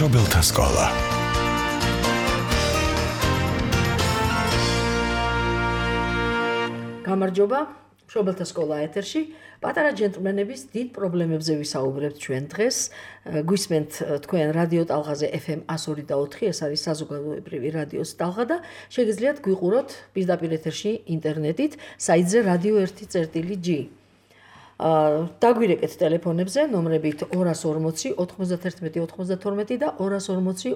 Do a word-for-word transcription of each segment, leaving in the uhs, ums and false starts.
მშობელთა სკოლა. გამარჯობა, მშობელთა სკოლა ეთერში. პატარა ჯენტლმენების დიდ პრობლემებზე ვისაუბრებთ ჩვენ დღეს. გვისმენთ თქვენ რადიო ტალღაზე ეფ ემ one oh two და four, ეს არის საზოგადოებრივი რადიოს ტალღა და შეგიძლიათ გვიყუროთ პირდაპირ ეთერში ინტერნეტით საიტზე რადიო one წერტილი ჯი. დაგვირეკეთ ტელეფონებზე ნომრებით two forty, ninety-one, ninety-two და two forty,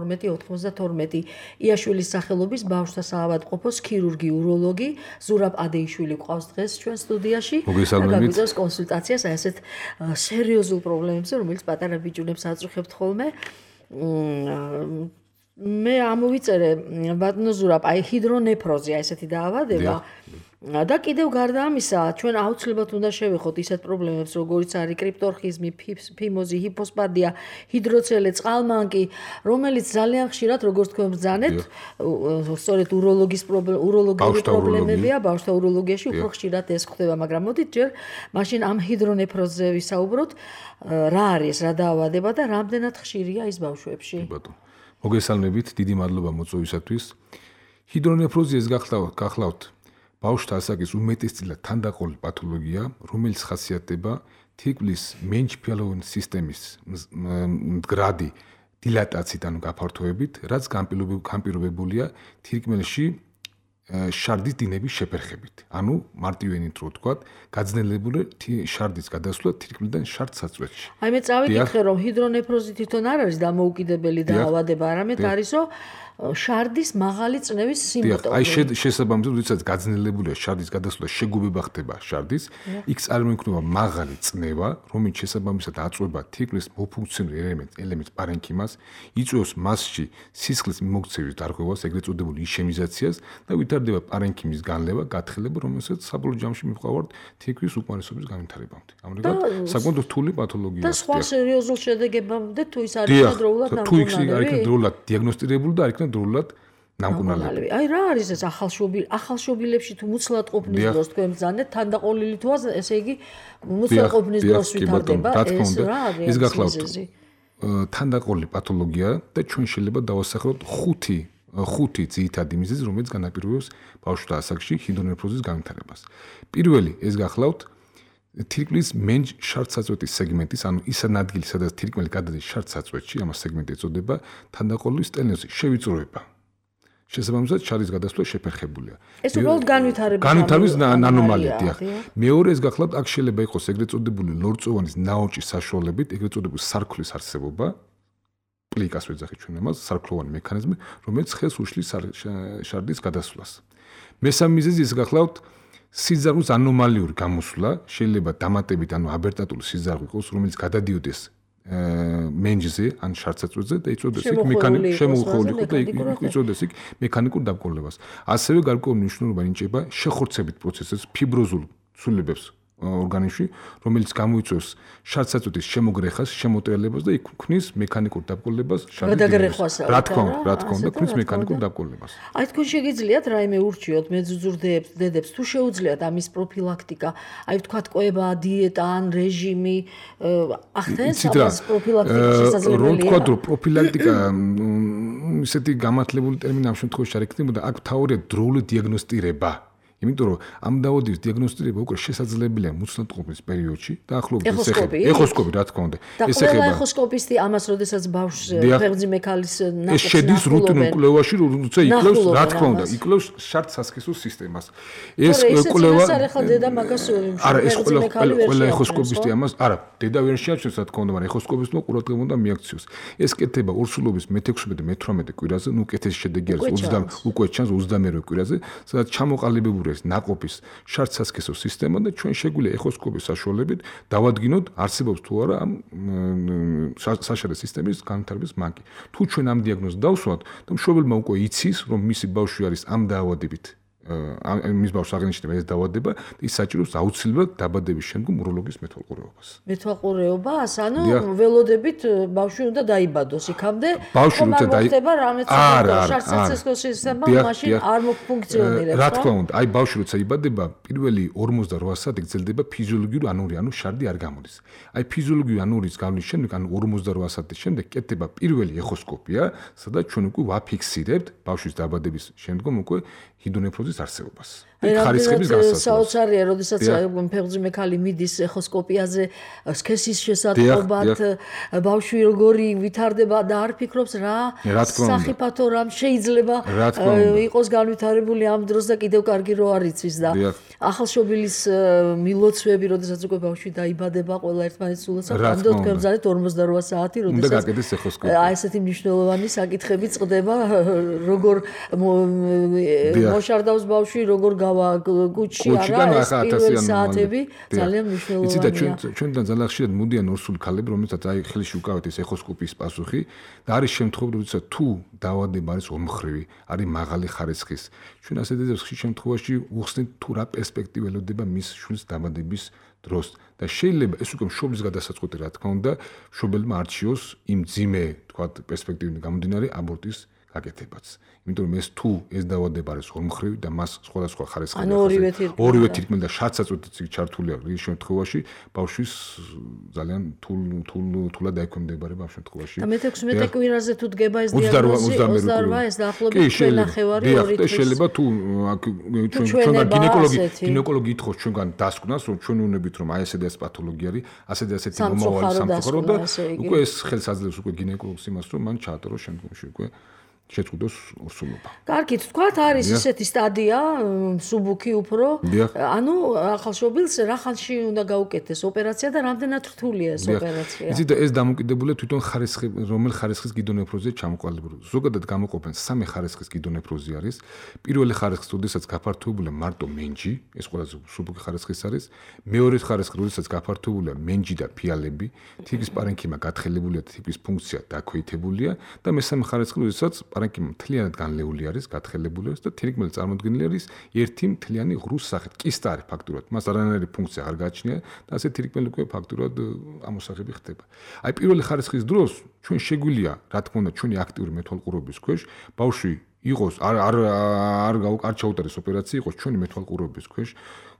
ninety-two, ninety-two. იაშვილის სახელობის ბავშვთა საავადმყოფოს ქირურგი, უროლოგი ზურაბ ადეიშვილი ყავს დღეს ჩვენ სტუდიაში და გაგვიწევს კონსულტაციას აი ესეთ სერიოზულ პრობლემებზე, რომელიც პატარა ბიჭუნებს აწუხებთ ხოლმე. მე ამოვიწერე ბატონო ზურაბ, აი ჰიდრონეფროზი, აი ესეთი დაავადება. და კიდევ გარდა ამისა, ჩვენ აუცილებლად უნდა შევეხოთ ისეთ პრობლემებს, როგორიც არის კრიპტორხიზმი, ფიმოზი, ჰიპოსპადია, ჰიდროცელე, წყალმანკი, რომელიც ძალიან ხშირად, როგორც თქვენ ბრძანეთ, სწორედ უროლოგის უროლოგიური პრობლემებია, ბავშვთა უროლოგიაში უფრო ხშირად ეს ხდება, მაგრამ მოდით ჯერ მაშინ ამ ჰიდრონეფროზზე ვისაუბროთ, რა არის, რა დაავადება და რამდენად ხშირია ის ბავშვებში. ბატონო, მოგესალმებით, დიდი მადლობა მოწვევისათვის. ჰიდრონეფროზი ეს გახლავთ ბავშვთა ასაკის უმეტესწილად თანდაყოლილი პათოლოგია, რომელიც ხასიათდება თირკმლის მენჩფიალოვანი სისტემის მდგრადი დილატაციით, ანუ გაფართოებით, რაც განპირობებულია თირკმელში შარდის დინების შეფერხებით. ანუ მარტივენით რო ვთქვათ, გაძნელებული შარდის გადასვლა თირკმლიდან შარდსაწვეთში. აი მე წავიკითხე, რომ ჰიდრონეფროზი თვითონ არ არის დამოუკიდებელი დაავადება, არამედ არისო შარდის მაღალი წნევის სიმპტომი. აი შესაბამისად, როდესაც გაძნელებულია შარდის გადასვლა, შეგუბება ხდება შარდის, იქ წარმოიქმნება მაღალი წნევა, რომელიც შესაბამისად აწვება თირკმლის მოფუნქციონალურ ელემენტს, ელემენტს პარენქიმას, იწვევს მასში სისხლის მიმოქცევის დარღვევას, ეგრეთ წოდებული იშემიზაციას და ვითარდება პარენქიმის განლევა, გათხელება, რომელსაც საბოლოო ჯამში მივყავართ თირკმლის უკმარისობის განვითარებამდე. ამრიგად, საკმაოდ რთული პათოლოგიაა. და სხვა სერიოზულ შედეგებამდე თუ ის არის დროულად ნამკურნალები. თუ ის არის დროულად დიაგნოსტირებული და არის დროულად ნამკურნალები. აი რა არის ეს ახალშობილი ახალშობილებში თუ მუცლად ყოფნის დროს თქვენ ბრძანეთ თანდაყოლილი თუ ესე იგი მუცლად ყოფნის დროს ვითარდება ეს რა არის ეს გახლავთ თანდაყოლილი პათოლოგია და ჩვენ შეიძლება დავასახელოთ ხუთი ხუთი ძირითადი მიზეზი, რომელიც განაპირობებს ბავშვთა ასაკში ჰიდრონეფროზის განვითარებას. პირველი ეს გახლავთ თირკმლის მენჯ შარდსაწვეთის სეგმენტის, ანუ ის ადგილი, სადაც თირკმელი გადადის შარდსაწვეთში, ამას სეგმენტი ეწოდება, თანდაყოლილი სტენოზი, შევიწროება. შესაბამისად, შარდის გადასვლა შეფერხებულია. ეს უბრალოდ განვითარების განვითარების ანომალია, დიახ. მეორე ეს გახლავთ, აქ შეიძლება იყოს ეგრეთ წოდებული ლორწოვანის ნაოჭის საშუალებით, ეგრეთ წოდებული სარქლის არსებობა, პლიკას ვეძახით ჩვენ ამას, სარქლოვანი მექანიზმი, რომელიც ხელს უშლის შარდის გადასვლას. მესამე მიზეზი ეს გახლავთ სიზარღვის ანომალიური გამოსვლა, შეიძლება დამატებით, ანუ აბერტატული სიზარღვი იყოს, რომელიც გადადიოდეს მენჯზე, ან შარდსაწვეთზე და იწვევდეს იქ მექანიკურ შემოუხმოვანილ და იწვევდეს იქ მექანიკურ დაბკოლებას. ასევე გარკვეული მნიშვნელობა ინიჭება შეხორცებით პროცესებს, ფიბროზულ ცვლილებებს ორგანიზმში, რომელიც გამოიწვევს შარდსაწვეთის შემოგრეხას, შემოტრიალებას და იქ ქმნის მექანიკურ დაბკოლებას, შარდის. რა თქმა უნდა, რა თქმა უნდა, ქმნის მექანიკურ დაბკოლებას. აი თქვენ შეგიძლიათ რაიმე ურჩიოთ მეძუძურდებს, დედებს, თუ შეუძლიათ ამის პროფილაქტიკა, აი ვთქვათ კვება, დიეტა ან რეჟიმი, ახდენს ამას პროფილაქტიკის შესაძლებელია. რო ვთქვათ, რომ პროფილაქტიკა ისეთი გამართლებული ტერმინი ამ შემთხვევაში არ იქნებოდა, აქ მთავარია დროული დიაგნოსტირება. იმიტომ რომ ამ დაავადების დიაგნოსტირება უკვე შესაძლებელია მუცლადყოფნის პერიოდში და ახლობლად ეხება ეხოსკოპი, რა თქმა უნდა. ეს ეხება ეხოსკოპისტი ამას, როდესაც ბავშვს ფეხმძიმე ქალის ნაკეთს ეს შედის რუტინულ კვლევაში, როცა იკლავს, რა თქმა უნდა, იკლავს შარდსასქესო სისტემას. ეს კვლევა ეს არა ხალ დედა მაგას არა, ეს ყველა ყველა ეხოსკოპისტი ამას, არა, დედა ვერ შეაჩვენს, რა თქმა უნდა, მაგრამ ეხოსკოპისტმა ყურადღება უნდა მიაქციოს. ეს კეთება ორსულობის მეთექვსმეტე მეთვრამეტე კვირაზე, ნუ კეთეს შედეგი არის ოცდამე უკვე ჩანს ოცდამერვე კვირაზე, სადაც ჩამოყალიბებული ეს ნაყოფის შარდსასქესო სისტემა და ჩვენ შეგვიძლია ეხოსკოპის საშუალებით დავადგინოთ არსებობს თუ არა ამ საშარდე სისტემის განვითარების მანკი. თუ ჩვენ ამ დიაგნოზს დავსვათ, და მშობელმა უკვე იცის, რომ მისი ბავშვი არის ამ დაავადებით მის ბავშვს აღენიშნება ეს დაავადება, ის საჭიროებს აუცილებლად დაბადების შემდგომ უროლოგის მეთვალყურეობას. მეთვალყურეობას, ანუ ველოდებით ბავშვი უნდა დაიბადოს იქამდე, ხომ არ მოხდება რამეც შარცაცესკოს სისტემა მაშინ არ მოფუნქციონირებს. რა თქმა უნდა, აი ბავშვი როცა იბადება, პირველი ორმოცდაროა საათი გრძელდება ფიზიოლოგიური ანური, ანუ შარდი არ გამოდის. აი ფიზიოლოგიური ანურის გავლის შემდეგ, ანუ ორმოცდაროა საათის შემდეგ კეთდება პირველი ეხოსკოპია, სადაც ჩვენ უკვე ვაფიქსირებთ ბავშვის დაბადების შემდგომ უკვე ჰიდრონეფროზის არსებობას. ხარისხების გასაცვლელს. საოცარია, როდესაც ფეხბურთი ქალი მიდის ეხოსკოპიაზე, სქესის შესატყობად, ბავშვი როგორი ვითარდება და არ ფიქრობს რა სახიფათო რამ შეიძლება იყოს განვითარებული ამ დროს და კიდევ კარგი რო არ იცის და ახალშობილის მილოცვები, როდესაც უკვე ბავშვი დაიბადება, ყველა ერთმანეთს სულაც ამდენ თქვენ ბრძანეთ ორმოცდაროა საათი, როდესაც აი ესეთი მნიშვნელოვანი საკითხები წყდება, როგორ მოშარდავს ბავშვი, როგორ გავა გუჩი არა ეს პირველი საათები ძალიან მნიშვნელოვანია. იცით და ჩვენ ჩვენთან ძალიან ხშირად მოდიან ორსული ქალები, რომელთაც აი ხელში უკავეთ ეს ეხოსკოპიის პასუხი და არის შემთხვევები, როდესაც თუ დაავადება არის ორმხრივი, არის მაღალი ხარისხის. ჩვენ ასეთ ძებს ხშირ შემთხვევაში უხსნით თუ რა პერსპექტივა ელოდება მის შვილს დაბადების დროს და შეიძლება ეს უკვე მშობლის გადასაწყვეტი რა თქმა უნდა, მშობელმა არჩიოს იმ ძიმე, თქვათ, პერსპექტივიდან გამომდინარე აბორტის გაკეთებაც. იმიტომ რომ ეს თუ ეს დაავადება არის ორმხრივი და მას სხვადასხვა ხარისხი ახასიათებს. ორივე თირკმელი და შარცაწყვეტიც ჩართულია ის შემთხვევაში ბავშვის ძალიან თულ თულ თულად დაექვემდებარება ამ შემთხვევაში. და მეთექვსმეტე კვირაზე თუ დგება ეს დიაგნოზი ოცდაოთხ ეს დაახლოებით ნახევარი ორი თვის. შეიძლება თუ ჩვენ ჩვენგან გინეკოლოგი გინეკოლოგი ითხოვს ჩვენგან დასკვნას რომ ჩვენ უნებით რომ აი ესე და ეს პათოლოგია არის, ასე და ასეთი მომავალი სამწუხარო და უკვე ეს ხელს აძლევს უკვე გინეკოლოგს იმას რომ მან ჩაატაროს შემდგომში უკვე შეწყვიტოს ორსულობა. კარგით, თქვათ არის ესეთი სტადია, მსუბუქი უფრო. ანუ ახალშობილს რა ხანში უნდა გაუკეთდეს ოპერაცია და რამდენად რთულია ეს ოპერაცია? იცით და ეს დამოკიდებულია თვითონ ხარისხი, რომელ ხარისხის გიდონეფროზია ჩამოყალიბებული. ზოგადად გამოყოფენ სამი ხარისხის გიდონეფროზი არის. პირველი ხარისხი, როდესაც გაფართოებულია მარტო მენჯი, ეს ყველაზე მსუბუქი ხარისხის არის. მეორე ხარისხი, როდესაც გაფართოებულია მენჯი და ფიალები, თიგის პარენქიმა გათხელებულია, თიგის ფუნქცია დაქვეითებულია და მესამე ხარისხი, როდესაც პარენქიმა მთლიანად განლეული არის, გათხელებული არის და თირკმელი წარმოდგენილი არის ერთი მთლიანი ღრუს სახით. კისტა არის ფაქტურად, მას არანაირი ფუნქცია არ გააჩნია და ასე თირკმელი უკვე ფაქტურად ამოსაღები ხდება. აი პირველი ხარისხის დროს ჩვენ შეგვიძლია, რა თქმა უნდა, ჩვენი აქტიური მეთვალყურეობის ქვეშ ბავშვი იყოს არ არ არ არ ჩაუტარდეს ოპერაცია, იყოს ჩვენი მეთვალყურეობის ქვეშ.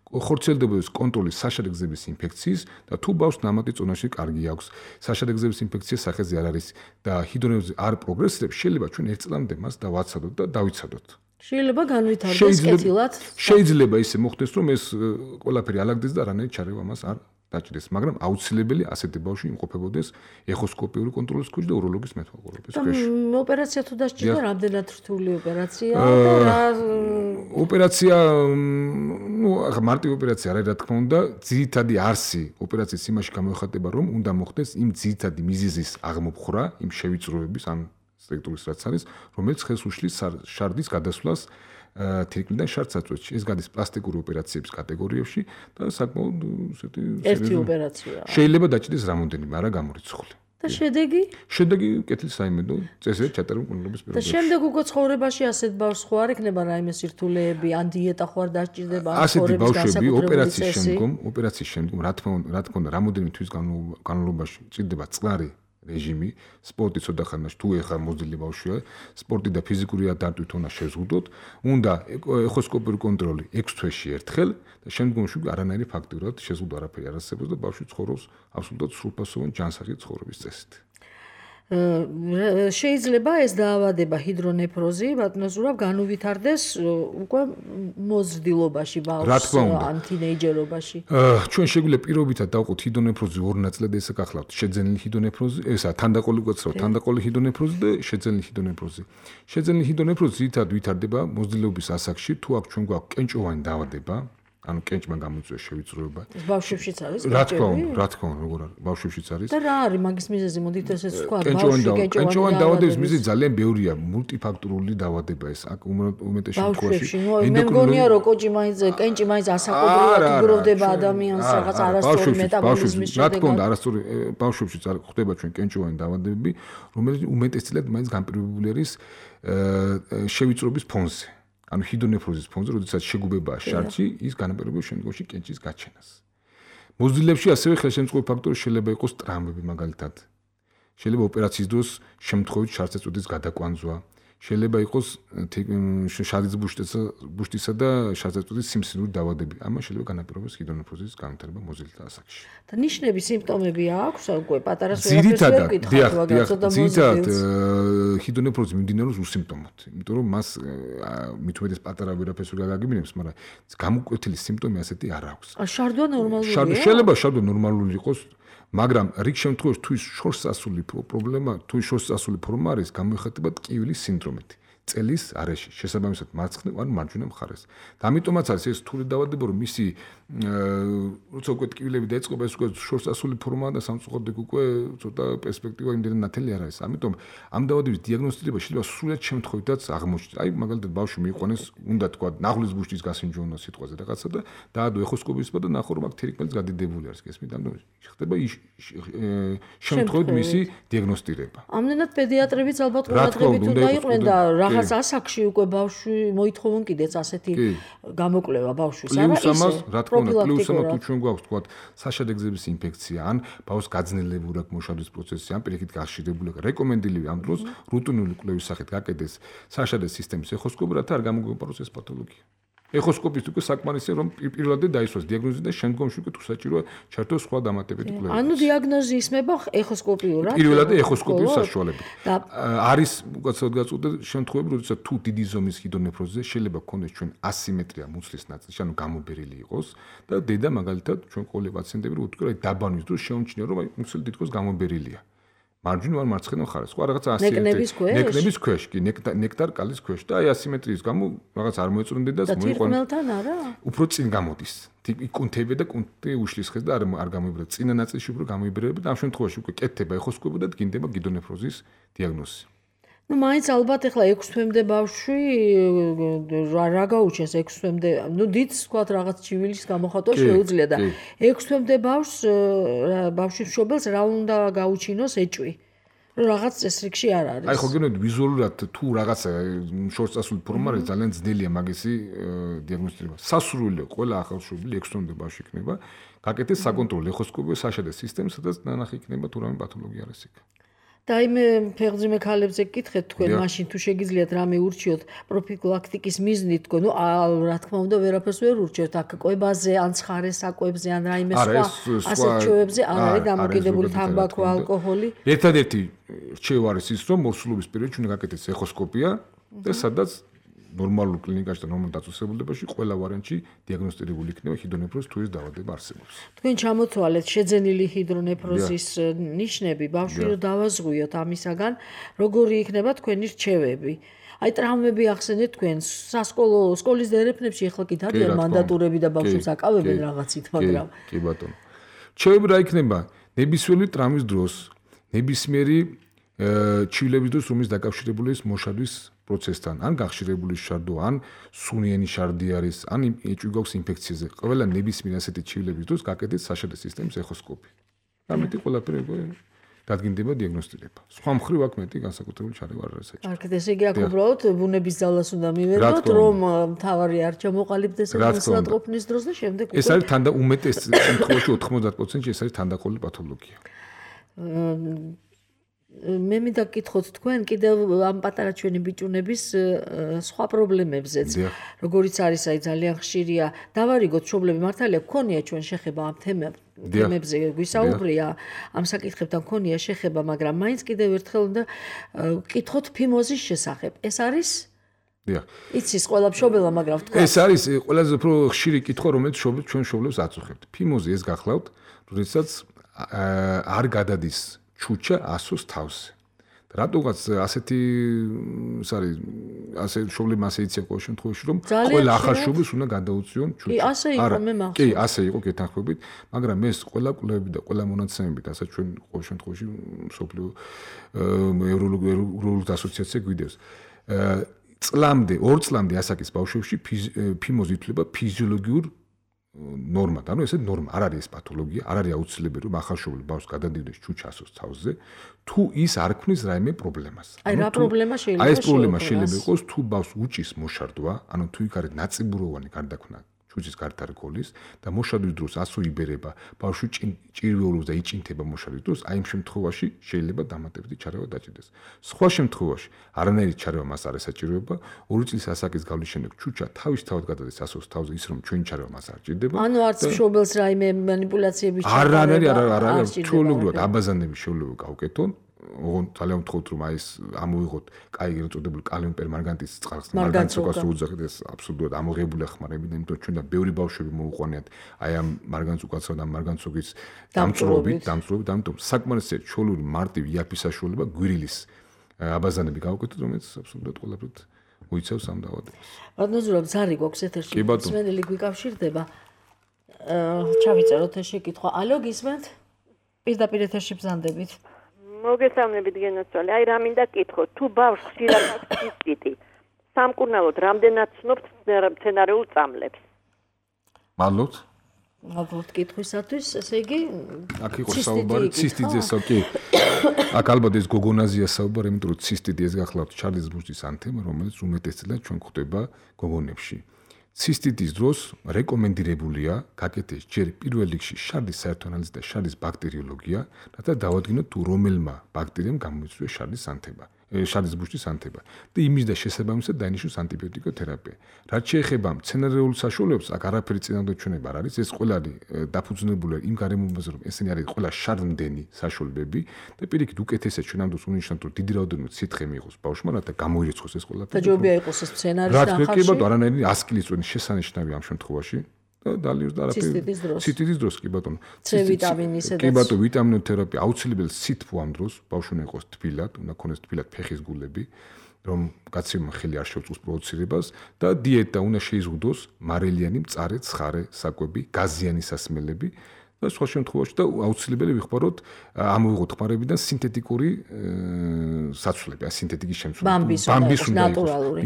ხორციელდებოდეს კონტროლი საშარე გზების ინფექციის და თუ ბავშვს ნამატი წონაში კარგი აქვს, საშარე გზების ინფექციის სახეზე არ არის და ჰიდრონეფროზი არ პროგრესირებს, შეიძლება ჩვენ ერთ წლამდე მას დავაცადოთ და დავიცადოთ. შეიძლება განვითარდეს კეთილად. შეიძლება ისე მოხდეს, რომ ეს ყველაფერი ალაგდეს და არანაირი ჩარევა მას არ დაჭდეს, მაგრამ აუცილებელი ასეთი ბავშვი იმყოფებოდეს ეხოსკოპიური კონტროლის ქვეშ და უროლოგის მეთვალყურეობის ქვეშ. ოპერაცია თუ დასჭირდა, რამდენად რთული ოპერაციაა და რა ოპერაცია, ну, ახლა მარტივი ოპერაცია არა, რა თქმა უნდა, ძირითადი არსი ოპერაციის იმაში გამოიხატება, რომ უნდა მოხდეს იმ ძირითადი მიზეზის აღმოფხვრა, იმ შევიწროების ან სტრუქტურის რაც არის, რომელიც ხელს უშლის შარდის გადასვლას თირკმლიდან შარდსაწვეთში. ეს გადის პლასტიკური ოპერაციების კატეგორიებში და საკმაოდ ესეთი ერთი ოპერაციაა. შეიძლება დაჭდეს რამოდენიმე, არა გამორიცხული. და შედეგი? შედეგი კეთილი საიმედო წესრიგით ჩატარებული კუნლობის პირობებში. და შემდეგ უკვე ცხოვრებაში ასეთ ბავშვს ხო არ ექნება რაიმე სირთულეები, ან დიეტა ხო არ დასჭირდება, ან ცხოვრების ბავშვები ოპერაციის შემდგომ, ოპერაციის შემდგომ, რა თქმა უნდა, რა თქმა უნდა, რამოდენიმე თვის განმავლობაში ჭირდება წყნარი რეჟიმი, სპორტი ცოტა ხანაში თუ ეხა მოზრდილი ბავშვია, სპორტი და ფიზიკური დატვირთვა უნდა შეზღუდოთ, უნდა ეხოსკოპიური კონტროლი ექვს თვეში ერთხელ და შემდგომში არანაირი ფაქტურად შეზღუდვა არაფერი არ არსებობს და ბავშვი ცხოვრობს აბსოლუტურად სრულფასოვანი ჯანსაღი ცხოვრების წესით. შეიძლება ეს დაავადება ჰიდრონეფროზი, ბატონო ზურაბ, განუვითარდეს უკვე მოზრდილობაში ბავშვს, ან თინეიჯერობაში. ჩვენ შეგვიძლია პირობითად დავყოთ ჰიდრონეფროზი ორ ნაწილად ესაკახლავთ, შეძენილი ჰიდრონეფროზი, ესა თანდაყოლი გვაცრავთ, თანდაყოლი ჰიდრონეფროზი და შეძენილი ჰიდრონეფროზი. შეძენილი ჰიდრონეფროზი ძირითადად ვითარდება მოზრდილობის ასაკში, თუ აქ ჩვენ გვაქვს კენჭოვანი დაავადება, ანუ კენჭმა გამოიწვია შევიწროება. ბავშვებშიც არის რა თქმა უნდა, რა თქმა უნდა, როგორ არის? ბავშვებშიც არის. და რა არის მაგის მიზეზი? მოდით ესეც თქვა, ბავშვი კენჭოვანი დაავადების მიზეზი ძალიან ბევრია, მულტიფაქტორული დაავადება ეს. აქ უმეტეს შემთხვევაში მე მგონია რომ კოჭი მაინც კენჭი მაინც ასაკობრივად იგროვდება ადამიანს რაღაც არასწორი მეტაბოლიზმის შედეგად. რა თქმა უნდა, არასწორი ბავშვებშიც ხდება ჩვენ კენჭოვანი დაავადებები, რომელიც უმეტესწილად მაინც განპირობებული არის შევიწროების ფონზე. ანუ ჰიდრონეფროზის ფონზე, როდესაც შეგუბებაა შარდში, ის განაპირობებს შემდგომში კენჭის გაჩენას. მოზრდილებში ასევე ხელშემწყობი ფაქტორი შეიძლება იყოს ტრამვები მაგალითად. შეიძლება ოპერაციის დროს შემთხვევით შარდსაწვდის გადაკვანძვა. შეიძლება იყოს შარდის ბუშტისა და შარდსაწვდის სიმსივნური დაავადებები. ამან შეიძლება განაპირობოს ჰიდრონეფროზის განვითარება მოზრდილთა ასაკში. და ნიშნები, სიმპტომები აქვს უკვე პატარას ვერაფერს ვერ გითხავთ, მაგრამ ცოტა მოზრდილს. ძირითადად ჰიდრონეფროზი მიმდინარეობს უსიმპტომოდ, იმიტომ რომ მას მით უმეტეს პატარა ვერაფერს ვერ გაგაგებინებს, მაგრამ გამოკვეთილი სიმპტომი ასეთი არ აქვს. შარდვა ნორმალურია? შეიძლება შარდვა ნორმალური იყოს, მაგრამ რიგ შემთხვევაში თუ ის შორს ასული პრობლემა, თუ ის შორს ასული ფორმა არის, გამოიხატება ტკივილის სინდრომით. წელის არეში, შესაბამისად მარცხნივ ან მარჯვენა მხარეს. და ამიტომაც არის ეს რთული დაავადება, რომ მისი როცა უკვე ტკივილები დაიწყება, ეს უკვე შორს ასული ფორმაა და სამწუხაროდ უკვე ცოტა პერსპექტივა იმდენად ნათელი არ არის. ამიტომ ამ დაავადების დიაგნოსტირება შეიძლება სრულად შემთხვევითაც აღმოჩნდეს. აი მაგალითად ბავშვი მიიყვანეს, უნდა თქვა, ნახulis ბუშტის გასინჯონა სიტყვაზე რაღაცა და დაადო ეხოსკოპისმა და ნახო რომ აქ თერიკმელიც გადიდებული არის, გესმით? ამიტომ ხდება ის შემთხვევით მისი დიაგნოსტირება. ამდენად პედიატრებიც ალბათ ყურადღებით უნდა იყვნენ და რაღაც ასაკში უკვე ბავშვი მოითხოვონ კიდეც ასეთი გამოკვლევა ბავშვის, არა ისე? პლუს ამა თუ ჩვენ გვაქვს თქვა საშადე-გზების ინფექცია ან ბავშვს გაძნელებული აქვს მოშადის პროცესი ან პირიქით გახშირებული აქვს რეკომენდებული ამ დროს რუტინული კვლევის სახით გაკეთდეს საშადე სისტემის ეხოსკოპი რათა არ გამოგვეპაროს ეს პათოლოგია. ეხოსკოპის უკვე საკმარისია რომ პირველად დაისვას დიაგნოზი და შემდგომში უკვე თუ საჭიროა ჩართოს სხვა დამატებითი კვლევა. ანუ დიაგნოზი ისმება ეხოსკოპიურად? პირველად ეხოსკოპიის საშუალებით. არის უკაცრავად გაწყვეტილ შემთხვევები, როდესაც თუ დიდი ზომის ჰიდრონეფროზზე შეიძლება გქონდეს ჩვენ ასიმეტრია მუცლის ნაწილში, ანუ გამობერილი იყოს და დედა მაგალითად ჩვენ ყოველი პაციენტები რო ვთქვი, აი დაბანვის დროს შეუმჩნია რომ აი მუცელი თითქოს გამობერილია. მარჯვენა ან მარცხენა მხარეს. სხვა რაღაცა ასიმეტრია. ნეკნების ქვეშ? ნეკნების ქვეშ, კი, ნექტარ კალის ქვეშ და აი ასიმეტრიის გამო რაღაც არ მოეწონდე და მოიყვანა. და თირკმელთან არა? უფრო წინ გამოდის. კუნთები და კუნთი უშლის ხეს და არ არ გამოიბრება. წინა ნაწილში უფრო გამოიბრება და ამ შემთხვევაში უკვე კეთდება ეხოსკოპი და დგინდება ჰიდრონეფროზის დიაგნოზი. ну მაინც ალბათ ახლა ექვსი თვემდე ბავშვი რა გაუჩენს ექვსი თვემდე ну დიდს ვთქვათ რაღაც ჩივილის გამოხატვა შეუძლია და ექვსი თვემდე ბავშვს ბავშვის მშობელს რა უნდა გაუჩინოს ეჭვი რომ რაღაც წესრიგში არ არის აი ხო გენოდი ვიზუალურად თუ რაღაცა შორს წასული ფორმა არის ძალიან ძნელია მაგისი დიაგნოსტირება სასურველია ყველა ახალშობილი ექვსი თვემდე ბავშვი იქნება გაკეთდეს საკონტროლო ეხოსკოპი საშადე სისტემი სადაც ნანახი იქნება თუ რამე პათოლოგია არის იქ და იმე ფეხძიმე ქალებზე გკითხეთ თქვენ მაშინ თუ შეგიძლიათ რამე ურჩიოთ პროფილაქტიკის მიზნით თქო ნუ რა თქმა უნდა ვერაფერს ვერ ურჩევთ აქ კვებაზე ან ცხარე საკვებზე ან რაიმე სხვა ასეთ ჩვევებზე არ არის დამოკიდებული თამბაქო ალკოჰოლი ერთადერთი რჩევა არის ის რომ მოსულობის პერიოდში უნდა გაკეთდეს ეხოსკოპია და სადაც ნორმალურ კლინიკაში და ნორმალურ დაწესებულებაში ყველა ვარიანტში დიაგნოსტირებული იქნება ჰიდრონეფროზის თუ ის დაავადება არსებობს. თქვენ ჩამოთვალეთ შეძენილი ჰიდრონეფროზის ნიშნები, ბავშვი რო დავაზღვიოთ ამისაგან, როგორი იქნება თქვენი რჩევები? აი ტრამვები ახსენეთ თქვენ სასკოლო სკოლის დერეფნებში ახლა კი დადიან მანდატურები და ბავშვებს აკავებენ რაღაცით, მაგრამ კი ბატონო. რჩევები რა იქნება? ნებისმიერი ტრამვის დროს, ნებისმიერი ჩივილების დროს, რომელიც დაკავშირებული ის მოშადვის პროცესთან, ან გახშირებული შარდო, ან სუნიანი შარდი არის, ან ეჭვი გვაქვს ინფექციაზე. ყველა ნებისმიერი ასეთი ჩივილების დროს გაკეთდეს საშადე სისტემის ეხოსკოპი. ამიტომ ყველაფერი დადგინდება დიაგნოსტირება. სხვა მხრივ აქ მეტი განსაკუთრებული ჩარევა არ არის საჭირო. კარგად, ესე იგი აქ უბრალოდ ბუნების ძალას უნდა მივერდოთ, რომ მთავარი არ ჩამოყალიბდეს მოსატყოფნის დროს და შემდეგ უკვე ეს არის თანდა უმეტეს შემთხვევაში ოთხმოცდაათ პროცენტში ეს არის თანდაყოლილი პათოლოგია. მე მინდა გკითხოთ თქვენ კიდევ ამ პატარა ჩვენი ბიჭუნების სხვა პრობლემებზეც როგორიც არის აი ძალიან ხშირია დავარიგოთ მშობლები მართალია გქონია ჩვენ შეხება ამ თემებზე გვისაუბრია ამ საკითხებთან გქონია შეხება მაგრამ მაინც კიდევ ერთხელ უნდა გკითხოთ ფიმოზის შესახებ ეს არის დიახ იცის ყველა მშობელა მაგრამ თქვენ ეს არის ყველაზე უფრო ხშირი კითხვა რომელიც ჩვენ მშობლებს აწუხებთ ფიმოზი ეს გახლავთ როდესაც არ გადადის ჩუჩა ასოს თავზე. რატოღაც ასეთი ის არის ასე მშობლებმა ასე იციან ყოველ შემთხვევაში რომ ყველა ახალშობილს უნდა გადაუწიონ ჩუჩა. კი, ასე იყო მე მახსოვს. კი, ასე იყო გეთანხმებით, მაგრამ ეს ყველა კვლევები და ყველა მონაცემებით, ასე ჩვენ ყოველ შემთხვევაში მსოფლიო ევროლოგიური ასოციაცია გვიდევს. წლამდე, ორ წლამდე ასაკის ბავშვებში ფიმოზი ითვლება ფიზიოლოგიურ ნორმა, ანუ ესე ნორმა, არ არის ეს პათოლოგია, არ არის აუცილებელი რომ ახალშობილი ბავშვს გადადიოდეს ჩუჩასოს თავზე, თუ ის არ ქმნის რაიმე პრობლემას. აი რა პრობლემა შეიძლება აი ეს პრობლემა შეიძლება იყოს თუ ბავშვს უჭის მოშარდვა, ანუ თუ იქ არის ნაწიბუროვანი გარდაქმნა ჩუჩის გარდარგოლის და მოშარდვის დროს ასო იბერება, ბავშვი ჭირვეულობს და იჭინთება მოშარდვის დროს, აი იმ შემთხვევაში შეიძლება დამატებითი ჩარევა დაჭირდეს. სხვა შემთხვევაში არანაირი ჩარევა მას არ ესაჭიროება, ორი წლის ასაკის გავლის შემდეგ ჩუჩა თავისთავად გადადის ასოს თავზე, ის რომ ჩვენი ჩარევა მას არ ჭირდება. ანუ არც მშობელს რაიმე манипуляციების ჩარევა არ არის, არ არის, ჩვეულებრივად აბაზანების შეუძლებლობა გავუკეთონ. ოღონდ ძალიან ვთხოვთ რომ აი ეს ამოვიღოთ კაი ეწოდებული კალიუმ პერმანგანტის წყალს მარგანტს უკას უძახეთ ეს აბსოლუტურად ამოღებული ახმარებინა იმიტომ ჩვენ და ბევრი ბავშვები მოუყვანიათ აი ამ მარგანტს უკასა და მარგანტსოგის დამწრობით დამწრობით ამიტომ საკმარისია ჩვეული მარტივი იაფის საშუალება გვირილის აბაზანები გავუკეთოთ რომელიც აბსოლუტურად ყველაფრით უიცავს ამ დაავადებას. ბატონო ზურაბ ზარი გვაქვს ეთერში მსმენელი გვიკავშირდება ჩავიწეროთ ეს შეკითხვა. ალო გისმენთ? პირდაპირ ეთერში ბრძანდებით. მოგესალმებით გენაცვალე. აი რა მინდა კითხოთ, თუ ბავშვს ხშირად აქვს ცისტიტი, სამკურნალოდ რამდენად ცნობთ მცენარეულ წამლებს? მადლობთ. მადლობთ კითხვისათვის. ესე იგი, აქ იყო საუბარი ცისტიტზესო კი. აქ ალბათ ეს გოგონაზია საუბარი, იმიტომ რომ ცისტიტი ეს გახლავთ ჩარლის ბუშტის ანთემა, რომელიც უმეტესწილად ჩვენ გვხვდება გოგონებში. ცისტიტის დროს რეკომენდირებულია გაკეთდეს ჯერ პირველ რიგში შარდის საერთო ანალიზი და შარდის ბაქტერიოლოგია, რათა დავადგინოთ თუ რომელმა ბაქტერიამ გამოიწვია შარდის ანთება, შარდის ბუშტის ანთება და იმის და შესაბამისად დაინიშნოს ანტიბიოტიკოთერაპია. რაც შეეხება მცენარეულ საშუალებებს, აქ არაფერი წინააღმდეგ ჩვენება არ არის, ეს ყველა დაფუძნებულია იმ გარემოებაზე, რომ ესენი არის ყველა შარდმდენი საშუალებები და პირიქით უკეთესად ჩვენ ამ დროს უნიშნავთ, რომ დიდი რაოდენობით სითხე მიიღოს ბავშვმა, რათა გამოირიცხოს ეს ყველაფერი. დაჯობია იყოს ეს მცენარის նախში. რა თქმა უნდა, არანაირი ას კილის წვენის შესანიშნავი ამ შემთხვევაში. დალიოს და არაფერი. ცისტიტის დროს კი ბატონო. C ვიტამინისედაც. კი ბატონო, ვიტამინოთერაპია აუცილებელი სითბო ამ დროს, ბავშვი უნდა იყოს თბილად, უნდა ქონდეს თბილად ფეხის გულები, რომ კაცებმა ხელი არ შეუწყოს პროდუცირებას და დიეტა უნდა შეიზღუდოს მარილიანი, მწარე, ცხარე საკვები, გაზიანი სასმელები და სხვა შემთხვევაში და აუცილებელი ვიხმაროთ ამოვიღოთ ხმარებიდან სინთეტიკური საცვლები, სინთეტიკის შემცვლელი. ბამბის უნდა ნატურალური.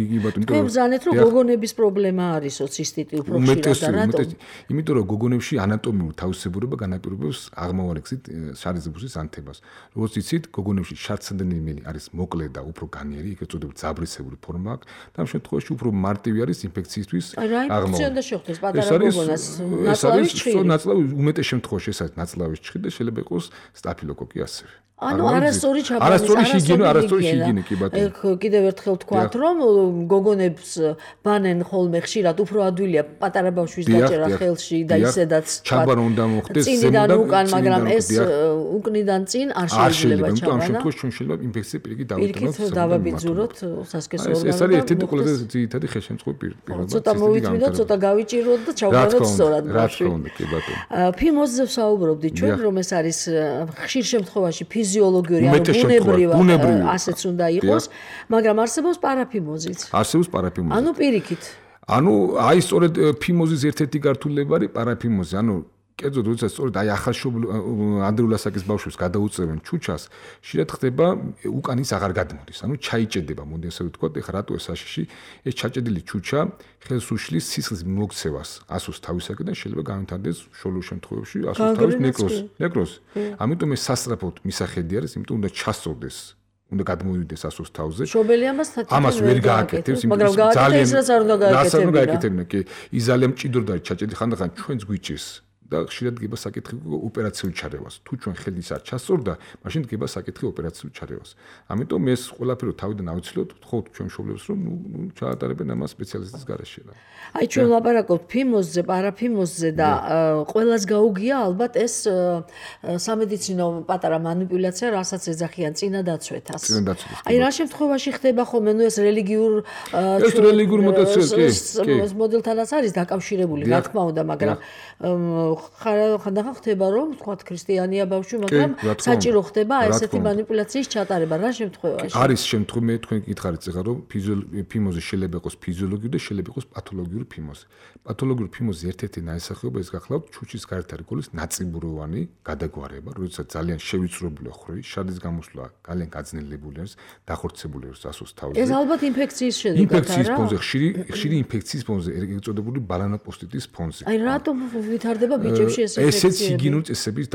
თქვენ ბრძანეთ რომ გოგონების პრობლემა არისო ცისტიტი უფრო ხშირად და რატომ? იმიტომ რომ გოგონებში ანატომიური თავისებურება განაპირობებს აღმავალი გზით შარდის ბუშტის ანთებას. როგორც იცით, გოგონებში შარდსადენელი არის მოკლე და უფრო განიერი, ეგრეთ წოდებული ძაბრისებური ფორმა აქვს და ამ შემთხვევაში უფრო მარტივი არის ინფექციისთვის აღმავალი. რა ინფექცია უნდა შეხვდეს პატარა გოგონას? ნაცლავის ჩხირი. ნაცლავის უმეტეს შემთხვევაში ეს არის ნაცლავის ჩხირი და შეიძლება იყოს სტაფილოკოკი ასევე. ანუ არასწორი ჩაბარება, არასწორი ჰიგიენა, არასწორი ჰიგიენა კი ბატონო. ეგ კიდევ ერთხელ ვთქვათ, რომ გოგონებს ბანენ ხოლმე ხშირად უფრო ადვილია პატარა ბავშვის დაჭერა ხელში და ისედაც ჩაბანა უნდა მოხდეს ზემოდან უკან, მაგრამ ეს უკნიდან წინ არ შეიძლება ჩაბანა. ამ შემთხვევაში ჩვენ შეიძლება ინფექცია პირიქით დავიტანოთ. პირიქით დავაბიძუროთ სასქესო ორგანოზე. ეს არის ერთი ყველაზე ძირითადი ხელშემწყობი პირობა. ცოტა მოვიწვიდოთ, ცოტა გავიჭიროთ და ჩავგაროთ სწორად ბავშვი. რა თქმა უნდა, კი ბატონო. ფიმოზზე ვსაუბრობდით ჩვენ, რომ ეს არის ხშირ შემთხვევაში ფიზიოლოგიური ანუ ბუნებრივი ასეც უნდა იყოს, მაგრამ არსებობს პარაფიმოზიც. არსებობს პარაფიმოზი. ანუ პირიქით. ანუ აი სწორედ ფიმოზის ერთ-ერთი გართულება არის პარაფიმოზი, ანუ კერძოდ როდესაც სწორედ აი ახალშობილ ადრეული ასაკის ბავშვებს გადაუწევენ ჩუჩას, შეიძლება ხდება უკან ის აღარ გადმოდის, ანუ ჩაიჭედება, მოდი ასე ვთქვათ, ეხლა რატო ეს საშიში, ეს ჩაჭედილი ჩუჩა ხელს უშლის სისხლის მოქცევას ასოს თავისაკიდან შეიძლება განვითარდეს შორეულ შემთხვევებში ასოს თავის ნეკროზი, ნეკროზი. ამიტომ ეს სასწრაფოდ მისახედი არის, იმიტომ უნდა ჩასწორდეს უნდა გადმოვიდეს ასოს თავზე. შობელი ამას ამას ვერ გააკეთებს, მაგრამ ძალიან რაც არ უნდა გააკეთებინა, კი, ის ძალიან მჭიდროდ არის ჩაჭედილი, ხანდახან ჩვენც გვიჭირს. და ხშირად გება საკითხი ოპერაციულ ჩარევას. თუ ჩვენ ხელის არ ჩასწორდა, მაშინ გება საკითხი ოპერაციულ ჩარევას. ამიტომ ეს ყველაფერი თავიდან ავიცილოთ, თხოვთ ჩვენ მშობლებს, რომ ნუ ჩაატარებენ ამას სპეციალისტის გარეშე. აი ჩვენ ლაპარაკობთ ფიმოზზე, პარაფიმოზზე და ყველას გაუგია ალბათ ეს სამედიცინო პატარა манипуляცია, რასაც ეძახიან წინა დაცვეთას. წინა დაცვეთას. აი რა შემთხვევაში ხდება ხოლმე, ნუ ეს რელიგიურ ეს რელიგიურ მოტაცია კი, კი. მოდელთანაც არის დაკავშირებული, რა თქმა უნდა, მაგრამ ხანდახან ხდება რომ თქვა ქრისტიანია ბავშვი, მაგრამ საჭირო ხდება ესეთი манипуляციის ჩატარება რა შემთხვევაში? არის შემთხვევა მე თქვენ გითხარით ეხლა რომ ფიმოზი შეიძლება იყოს ფიზიოლოგიური და შეიძლება იყოს პათოლოგიური ფიმოზი. პათოლოგიური ფიმოზი ერთ-ერთი ნაესახეობა ის გახლავთ ჩუჩის გარეთ არის ნაწიბუროვანი გადაგვარება, როდესაც ძალიან შევიწროებული ხრი, შადის გამოსვლა ძალიან გაძნელებული არის, დახორცებული არის ასოს თავზე. ეს ალბათ ინფექციის შედეგად არა? ინფექციის ფონზე ხშირი ხშირი ინფექციის ფონზე ეგწოდებული ბალანოპოსტიტის ფონზე. აი რატომ ვითარდება ბიჭებში ეს ინფექციები? ესეც იგინური წესების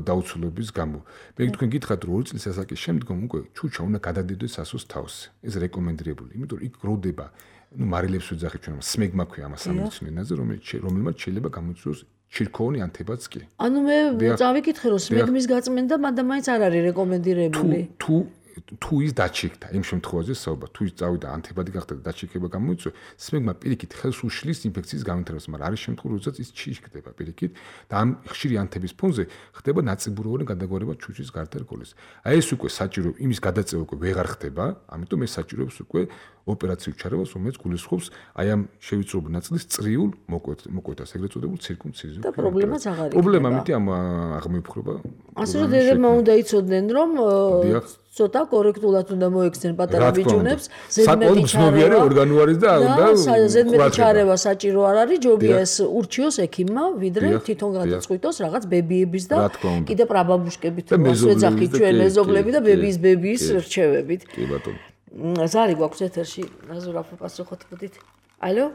დაუცველობის გამო. მე თქვენ გითხრათ რომ ორი წლის ასაკის შემდგომ უკვე ჩუჩა უნდა გადადიოდეს ასოს თავზე. ეს რეკომენდირებული, იმიტომ რომ იქ გროვდება, ну მარილებს ვეძახით ჩვენ, სმეგმა ქვია ამას სამედიცინო ენაზე, რომელიც რომელმაც შეიძლება გამოიწვიოს ჩირქოვანი ანთებაც კი. ანუ მე წავიკითხე რომ სმეგმის გაწმენდა, მაგრამ მაინც არ არის რეკომენდირებული. თუ თუ ის დაჩიქდა, იმ შემთხვევაში საუბარ, თუ ის წავიდა ანთებადი გახდა და დაჩიქება გამოიწვია, სმეგმა პირიქით ხელს უშლის ინფექციის გამომთრებას, მაგრამ არის შემთხვევა, როდესაც ის ჩიქდება პირიქით და ამ ხშირი ანთების ფონზე ხდება ნაწიბუროვანი გადაგვარება ჩუჩის გარდარგოლის. აი ეს უკვე საჭირო, იმის გადაწევა უკვე ვეღარ ხდება, ამიტომ ეს საჭიროებს უკვე ოპერაციულ ჩარევას, რომელიც გულისხმობს აი ამ შევიწროებულ ნაწილის წრიულ მოკვეთას, ეგრეთ წოდებულ ცირკუმციზიას. და პრობლემაც აღარ იქნება. პრობლემა ამით ამ აღმოფხვრობა. ასე რომ დედებმა უნდა იცოდნენ, რომ ცოტა კორექტულად უნდა მოექცნენ პატარა ბიჭუნებს, ზედმეტი ჩარევა ორგანოარის და უნდა ზედმეტი ჩარევა საჭირო არ არის, ჯობია ეს ურჩიოს ექიმმა, ვიდრე თვითონ გადაწყვიტოს რაღაც ბებიების და კიდე პრაბაბუშკებით ვეძახით ჩვენ მეზობლები და ბებიის ბებიის რჩევებით. კი ბატონო. ზარი გვაქვს ეთერში, ნაზურაფო პასუხოთ მოდით. ალო?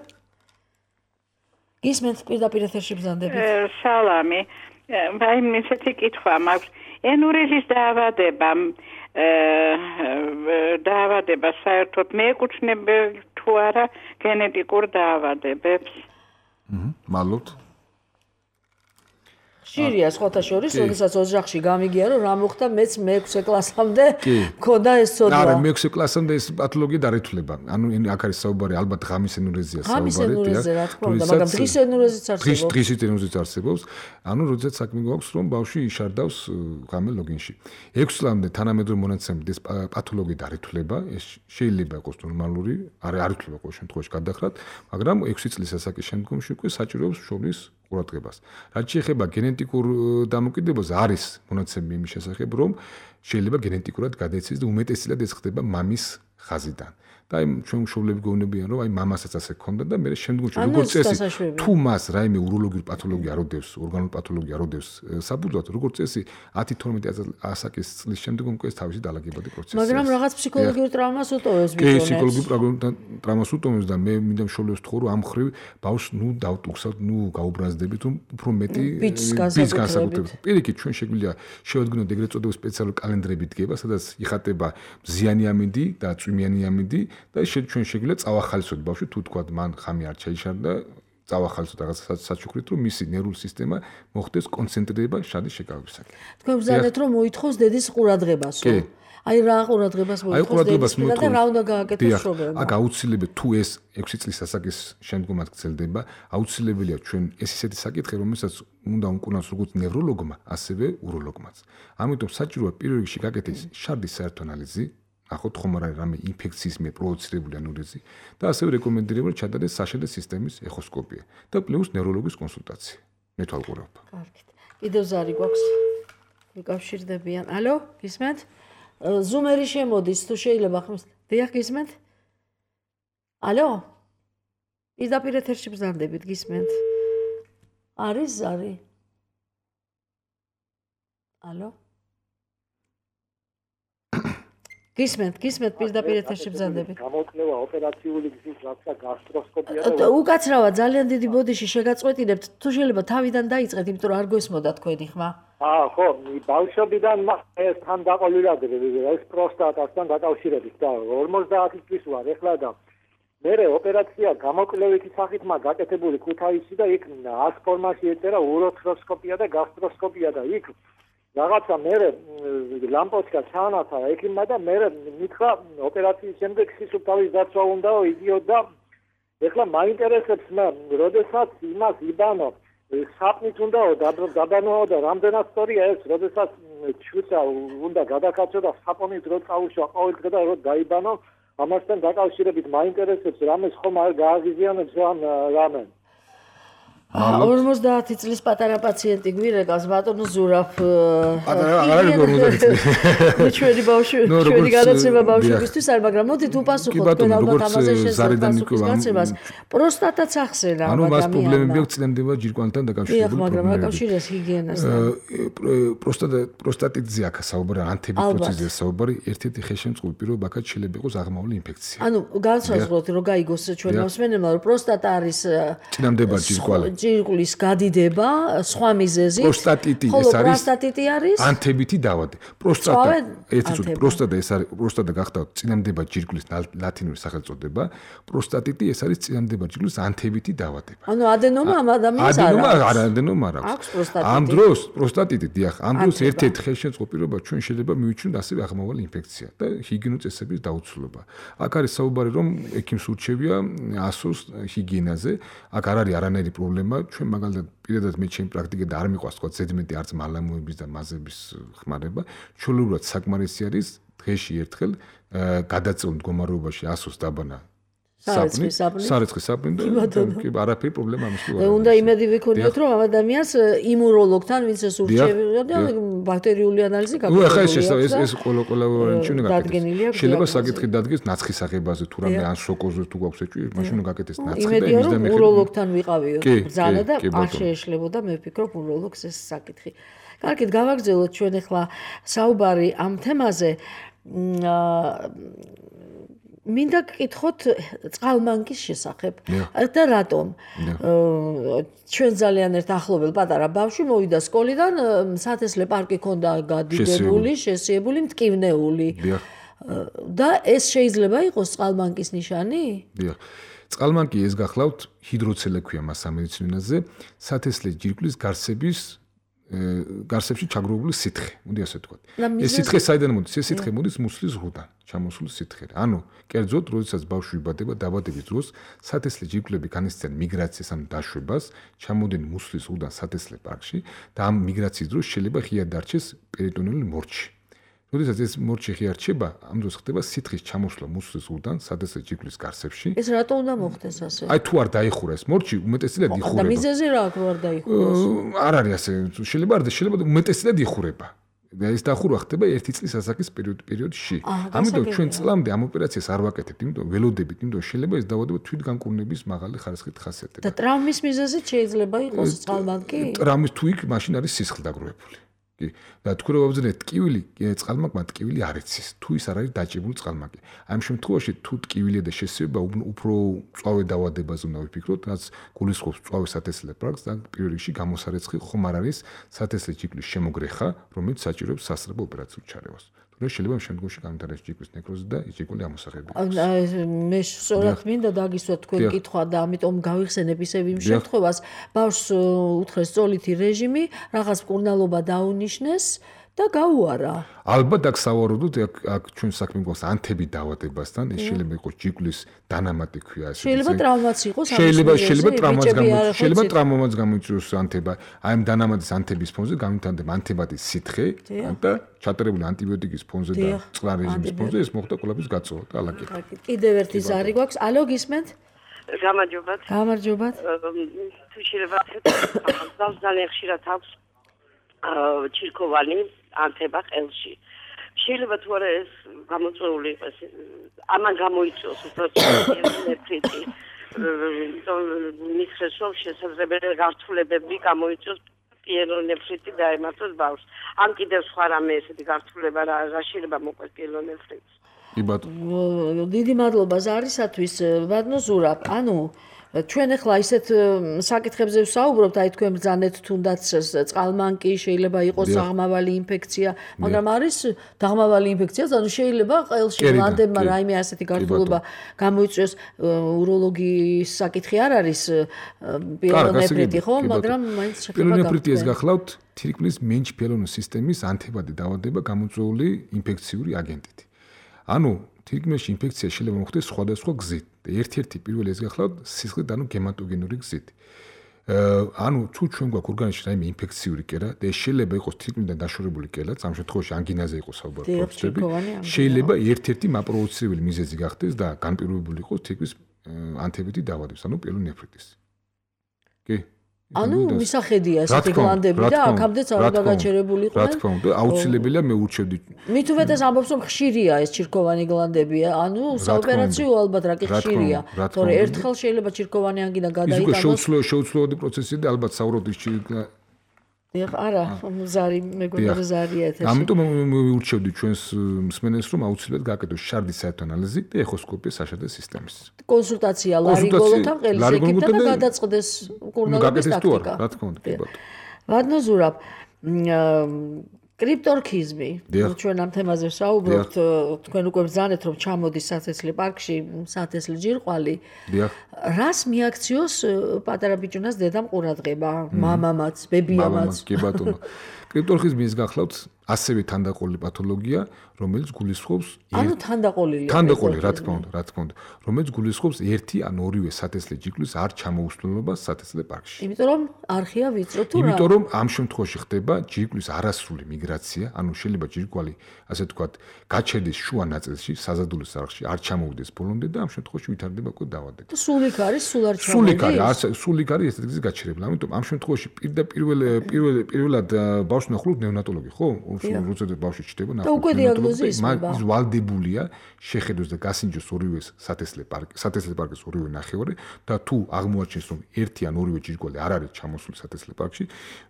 გისმენთ პირდაპირ ეთერში ბრძანდებით. სალამი. აი ესეთი კითხვა მაქვს. ენურიზის დაავადება დაავადება საერთოდ მეეკუთვნება თუ არა გენეტიკურ დაავადებებს? აჰა, მალოთ. ხშირია სხვათა შორის, როდესაც ოჯახში გამიგია რომ რა მოხდა, მეც მეექვსე კლასამდე მქონდა ეს ცოდვა. არა, მეექვსე კლასამდე ეს პათოლოგია დარეთულება. ანუ აქ არის საუბარი ალბათ ღამის ენურეზია საუბარი. ღამის ენურეზია რა თქმა უნდა, მაგრამ დღის ენურეზიც არსებობს. დღის დღის ენურეზიც არსებობს. ანუ როდესაც საქმე გვაქვს რომ ბავშვი იშარდავს ღამე ლოგინში. ექვსი წლამდე თანამედროვე მონაცემებით ეს პათოლოგია დარეთულება, ეს შეიძლება იყოს ნორმალური, არ არ ითვლება ყოველ შემთხვევაში გადახრათ, მაგრამ ექვსი წლის ასაკის შემდგომში უკვე საჭიროებს შობის ყურადღებას. რაც შეეხება გენეტიკურ დამოკიდებაზე, არის მონაცემები იმის შესახებ, რომ შეიძლება გენეტიკურად გადაეცეს და უმეტესად ეს ხდება მამის ხაზიდან. და აი ჩვენ მშობლები გეუბნებიან, რომ აი მამასაც ასე ქონდა და მე შემდგომში როგორც წესი, თუ მას რაიმე უროლოგიური პათოლოგია არ ოდევს, ორგანული პათოლოგია არ ოდევს საბუძვლად, როგორც წესი ათი თორმეტი ასაკის წლის შემდგომ უკვე ეს თავისი დაალაგებადი პროცესია. მაგრამ რაღაც ფსიქოლოგიურ ტრავმას უტოვებს ბიჭუნებს. კი, ფსიქოლოგიურ ტრავმას უტოვებს და მე მინდა მშობლებს ვთხოვო, რომ ამ ხრივ ბავშვს ნუ დავტუქსავთ, ნუ გაუბრაზდებით, რომ უფრო მეტი ბიჭს განსაკუთრებით. პირიქით ჩვენ შეგვიძლია შევადგინოთ ეგრეთ წოდებული სპეციალური კალენდრები დგება, სადაც იხატება მზიანი ამინდი და წვიმიანი ამინდი და ჩვენ შეგვიძლია წავახალისოთ ბავშვი თუ თქვა მან ხამი არ ჩაიშარდა წავახალისოთ რაღაც საჩუქრით რომ მისი ნერვული სისტემა მოხდეს კონცენტრირება შადის შეკავებისაკენ. თქვენ ბრძანეთ რომ მოითხოვს დედის ყურადღებასო. აი რა ყურადღებას მოითხოვს დედის და რა უნდა გააკეთოს შრომებმა. აქ აუცილებელი თუ ეს ექვსი წლის ასაკის შემდგომაც გრძელდება, აუცილებელია ჩვენ ეს ისეთი საკითხი რომელსაც უნდა უმკურნალოს როგორც ნევროლოგმა, ასევე უროლოგმაც. ამიტომ საჭიროა პირველ რიგში გაკეთდეს შარდის საერთო ანალიზი. ახოთ ხომ არ არის რამე ინფექციის მე პროვოცირებული ანურეზი და ასევე რეკომენდირებული ჩადარდეს საშედე სისტემის ეხოსკოპია და პლუს ნევროლოგის კონსულტაცია. მეთვალყურება. კარგით. კიდევ ზარი გვაქვს. მიკავშირდებიან. ალო, გისმენთ? ზუმერი შემოდის, თუ შეიძლება ხმის. დიახ, გისმენთ? ალო? პირდაპირ ეთერში ბრძანდებით, გისმენთ? არის ზარი? ალო? გისმენთ, გისმენთ პირდაპირ ეთერში ბრძანდებით. გამოკვლევა ოპერაციული გზის რაღაცა გასტროსკოპია და უკაცრავად ძალიან დიდი ბოდიში შეგაწყვეტინებთ, თუ შეიძლება თავიდან დაიწყეთ, იმიტომ რომ არ გესმოდა თქვენი ხმა. აა, ხო, ბავშვობიდან ეს თან დაყოლილად ეს პროსტატასთან დაკავშირებით და ორმოცდაათი წლის ვარ ეხლა და მე ოპერაცია გამოკვლევითი სახით მაგ გაკეთებული ქუთაისში და იქ ას ფორმაში ეწერა უროთროსკოპია და გასტროსკოპია და იქ რაღაცა მე ლამპოჩკა ჩაანათა ექიმმა და მე მითხრა ოპერაციის შემდეგ სისუფთავის დაცვა უნდაო იდიოთ და ეხლა მაინტერესებს მე როდესაც იმას იბანო საპნით უნდაო დაბანოო და რამდენად სწორია ეს როდესაც ჩუცა უნდა გადაკაცო და საპონით რო წაუშვა ყოველ დღე და რო დაიბანო ამასთან დაკავშირებით მაინტერესებს რამეს ხომ არ გააღიზიანებს ამ რამე ორმოცდაათი წლის პატარა პაციენტი გვირეკავს ბატონო ზურაბ. პატარა არ არის ორმოცდაათი წლის. ჩვენი ბავშვი, ჩვენი განაცემა ბავშვებისთვის არ, მაგრამ მოდით უპასუხოთ თქვენ ალბათ ამაზე შესაძლოა განაცემას. პროსტატაც ახსენა ანუ მას პრობლემები აქვს წინამდება ჯირკვანთან დაკავშირებული პრობლემები. მაგრამ აკავშირებს ჰიგიენასთან. პროსტატა პროსტატიტზე აქ საუბარი, ანთებიტოციზეა საუბარი, ერთ-ერთი ხელშემწყობი პირობა აქ შეიძლება იყოს აღმავლი ინფექცია. ანუ განსაზღვროთ რომ გაიგოს ჩვენ მოსმენებმა რომ პროსტატა არის წინამდება ჯირკვალი. ჯირკვლის გადიდება სხვა მიზეზით. პროსტატიტი ეს არის. პროსტატიტი არის ანთებითი დავადი. პროსტატა ერთი წუთი პროსტატა ეს არის პროსტატა გახდა წინამდება ჯირკვლის ლათინური სახელწოდება. პროსტატიტი ეს არის წინამდება ჯირკვლის ანთებითი დავადება. ანუ ადენომა ამ ადამიანს არ ადენომა არ ადენომა არ აქვს. ამ დროს პროსტატიტი დიახ, ამ დროს ერთ-ერთი ხელშემწყობ პირობა ჩვენ შეიძლება მივიჩნიოთ ასევე აღმავალი ინფექცია და ჰიგიენური წესების დაუცვლელობა. აქ არის საუბარი რომ ექიმს ურჩევია ასოს ჰიგიენაზე. აქ არ არის არანაირი პრობლემა. ჩვენ მაგალითად პირადად მე ჩემი პრაქტიკა და არ მიყვარს თქვა ზედმეტი არც მალამოების და მაზების ხმარება. ჩვეულებრივად საკმარისი არის დღეში ერთხელ გადაწყვეტილ მდგომარეობაში ასოს დაბანა საპნი, სარეცხის საპნი და კი არაფერი პრობლემა ამის თუ არ არის. უნდა იმედი ვიქონიოთ რომ ამ ადამიანს იმუნოლოგთან ვინც ეს ურჩევია და ბაქტერიული ანალიზი გაკეთებული. ნუ ახლა ეს ეს ეს ყველა ყველა ჩვენ გაკეთდეს. შეიძლება საკითხი დადგეს ნაცხის აღებაზე თუ რამე ან სოკოზე თუ გვაქვს ეჭვი, მაშინ უნდა გაკეთდეს ნაცხი და იმედია რომ უროლოგთან ვიყავიოთ ბრძანა და არ შეეშლებოდა მე ვფიქრობ უროლოგს ეს საკითხი. კარგით, გავაგრძელოთ ჩვენ ახლა საუბარი ამ თემაზე. მინდა გკითხოთ წყალმანკის შესახებ და რატომ ჩვენ ძალიან ერთ ახლობელ პატარა ბავშვი მოვიდა სკოლიდან სათესლე პარკი ჰქონდა გადიდებული, შესიებული, მტკივნეული და ეს შეიძლება იყოს წყალმანკის ნიშანი? დიახ. წყალმანკი ეს გახლავთ ჰიდროცელე ქვია მას სამედიცინო ენაზე, სათესლე ჯირკვლის გარსების გარსებში ჩაგროვებული სითხე, მოდი ასე ვთქვათ. ეს სითხე საიდან მოდის? ეს სითხე მოდის მუცლის ზღუდან, ჩამოსული სითხე. ანუ, კერძოდ, როდესაც ბავშვი იბადება, დაბადების დროს სათესლე ჯირკვლები განიცდიან მიგრაციას, ანუ დაშვებას, ჩამოდნენ მუცლის ზღუდან სათესლე პარკში და ამ მიგრაციის დროს შეიძლება ღია დარჩეს პერიტონეული მორჩი. როდესაც ეს მორჩი ღია რჩება, ამ დროს ხდება სითხის ჩამოსვლა მუცლის ზღუდან სათესლე ჯირკვლის გარსებში. ეს რატო უნდა მოხდეს ასე? აი თუ არ დაიხურა ეს მორჩი, უმეტესად იხურება. და მიზეზი რა აქვს რომ არ დაიხუროს? არ არის ასე, შეიძლება არ და შეიძლება უმეტესად იხურება. და ეს დახურვა ხდება ერთი წლის ასაკის პერიოდ პერიოდში. ამიტომ ჩვენ წლამდე ამ ოპერაციას არ ვაკეთებთ, იმიტომ ველოდებით, იმიტომ შეიძლება ეს დაავადება თვითგანკურნების მაღალი ხარისხით ხასიათდება. და ტრამვის მიზეზით შეიძლება იყოს წყალმანკი? ტრამვის თუ იქ მაშინ არის სისხლი დაგროვებული. და თქვენ რო ვაბრძანეთ ტკივილი, წყალმანკმა ტკივილი არ იცის, თუ ის არ არის დაჭებული წყალმანკი. ამ შემთხვევაში თუ ტკივილია და შესიება უფრო წვავე დაავადებაზე უნდა ვიფიქროთ, რაც გულისხმობს წვავე სათესლე პარკს და პირველ რიგში გამოსარეცხი ხომ არ არის სათესლე ჯირკვლის შემოგრეხა, რომელიც საჭიროებს სასწრაფო ოპერაციულ ჩარევას. თუმცა შეიძლება ამ შემთხვევაში გამიტარდეს ჯირკვლის ნეკროზი და ის ჯირკველი ამოსაღები. მე სწორად მინდა დაგისვათ თქვენ კითხვა და ამიტომ გავიხსენებ ისევ იმ შემთხვევას, ბავშვს უთხრეს სწოლითი რეჟიმი, რაღაც მკურნალობა დაუნიშნეს და გაუარა. ალბათ აქ სავარაუდოდ აქ აქ ჩვენ საქმე გვაქვს ანთები დაავადებასთან, ეს შეიძლება იყოს ჯირკვლის დანამატი ქვია ესე. შეიძლება ტრავმაც იყოს, შეიძლება შეიძლება ტრავმაც გამოიწვიოს, შეიძლება ტრავმაც გამოიწვიოს ანთება. აი ამ დანამატის ანთების ფონზე გამიტანდება ანთებადის სითხე და ჩატარებული ანტიბიოტიკის ფონზე და წყლარ რეჟიმის ფონზე ეს მოხდა კვლევის გაწოვა და ალაგი. კიდევ ერთი ზარი გვაქვს. ალო, გისმენთ? გამარჯობათ. გამარჯობათ. თუ შეიძლება ახლა ძალიან ხშირად აქვს ჩირქოვანი ანთება ყელში. შეიძლება თუ არა ეს გამოწვეული იყოს, ამან გამოიწვიოს უბრალოდ მისხეს რომ შესაძლებელი გართულებები გამოიწვიოს პიელონეფრიტი დაემართოს ბავშვს. ან კიდევ სხვა რამე ესეთი გართულება რა შეიძლება მოყვეს პიელონეფრიტს. კი ბატონო. დიდი მადლობა ზარისათვის, ბატონო ზურაბ. ანუ ჩვენ ახლა ისეთ საკითხებზე ვსაუბრობთ, აი თქვენ ბრძანეთ თუნდაც წყალმანკი, შეიძლება იყოს დაღმავალი ინფექცია, მაგრამ არის დაღმავალი ინფექცია, ანუ შეიძლება ყელში ლანდებმა რაიმე ასეთი გართულება გამოიწვიოს. უროლოგიის საკითხი არ არის პიელონეფრიტი, ხო? მაგრამ მაინც შეიძლება პიელონეფრიტი ეს გახლავთ თირკმლის მენჩ-პიელონის სისტემის ანთებადი დაავადება გამოწვეული ინფექციური აგენტით. ანუ თირკმელში ინფექცია შეიძლება მოხდეს სხვადასხვა გზით. ერთ-ერთი პირველი ეს გახლავთ სისხლით, ანუ გემატოგენური გზით. ანუ თუ ჩვენ გვაქვს ორგანიზმში რაიმე ინფექციური კერა და შეიძლება იყოს თირკმლიდან დაშორებული კერა, ამ შემთხვევაში ანგინაზე იყოს საუბარი პროცესები, შეიძლება ერთ-ერთი მაპროვოცირებელი მიზეზი გახდეს და განპირობებული იყოს თირკმლის ანთებითი დაავადება, ანუ პიელონეფრიტის. კი? ანუ მისახედია ესეთი გლანდები და აქამდეც არ დაგაჩერებულიყვნენ. რა თქმა უნდა, აუცილებელია მე ურჩევდი. მით უმეტეს ამბობს რომ ხშირია ეს ჩირქოვანი გლანდები, ანუ საოპერაციო ალბათ რა კი ხშირია. თორე ერთხელ შეიძლება ჩირქოვანი ანგინა გადაიტანოს. ის უკვე შეუცვლელად პროცესია და ალბათ საუბრობთ ის დიახ, არა, ზარი მეგონა ზარია ეთერში. ამიტომ მიურჩევდი ჩვენს მსმენელს რომ აუცილებლად გააკეთოს შარდის საერთო ანალიზი და ეხოსკოპია საშარდე სისტემის. კონსულტაცია ლარინგოლოგთან, ყელის ეკიპთან და გადაწყდეს კურნალობის ტაქტიკა. რა თქმა უნდა, კი ბატონო. ვადნო ზურაბ, კრიპტორქიზმი. ჩვენ ამ თემაზე ვსაუბრობთ, თქვენ უკვე ბრძანეთ რომ ჩამოდის სათესლე პარკში, სათესლე ჯირყვალი. დიახ. რას მიაქციოს პატარა ბიჭუნას დედამ ყურადღება, მამამაც, ბებიამაც? კი ბატონო. კრიპტორქიზმი ის გახლავთ ასევე თანდაყოლილი პათოლოგია, რომელიც გულისხმობს ანუ თანდაყოლილია. თანდაყოლი, რა თქმა უნდა, რა თქმა უნდა, რომელიც გულისხმობს ერთი ან ორივე სათესლე ჯირკვლის არ ჩამოუსვლელობას სათესლე პარკში. იმიტომ რომ არხია ვიწრო თუ რა? იმიტომ რომ ამ შემთხვევაში ხდება ჯირკვლის არასრული მიგრაცია, ანუ შეიძლება ჯირკვალი, ასე ვთქვათ, გაჩერდეს შუა ნაწილში, საზადულის არხში, არ ჩამოვიდეს ბოლომდე და ამ შემთხვევაში ვითარდება უკვე დაავადება. და სულიკ არის, სულ არ ჩამოვიდეს. სულიკ არის, არც სულიკ არის ესეთ გზის გაჩერებლა. ამიტომ ამ შემთხვევაში პირდაპირ პირველ პირველად ბავშვს ნახულობ ნეონატოლოგი, ხო? როცა ბავშვი ჩდება ნახულობ დიაგნოზი ისმება. ის ვალდებულია შეხედოს და გასინჯოს ორივე სათესლე პარკი, სათესლე პარკის ორივე ნახევარი და თუ აღმოაჩენს რომ ერთი ან ორივე ჯირკვალი არ არის ჩამოსული სათესლე პარკში,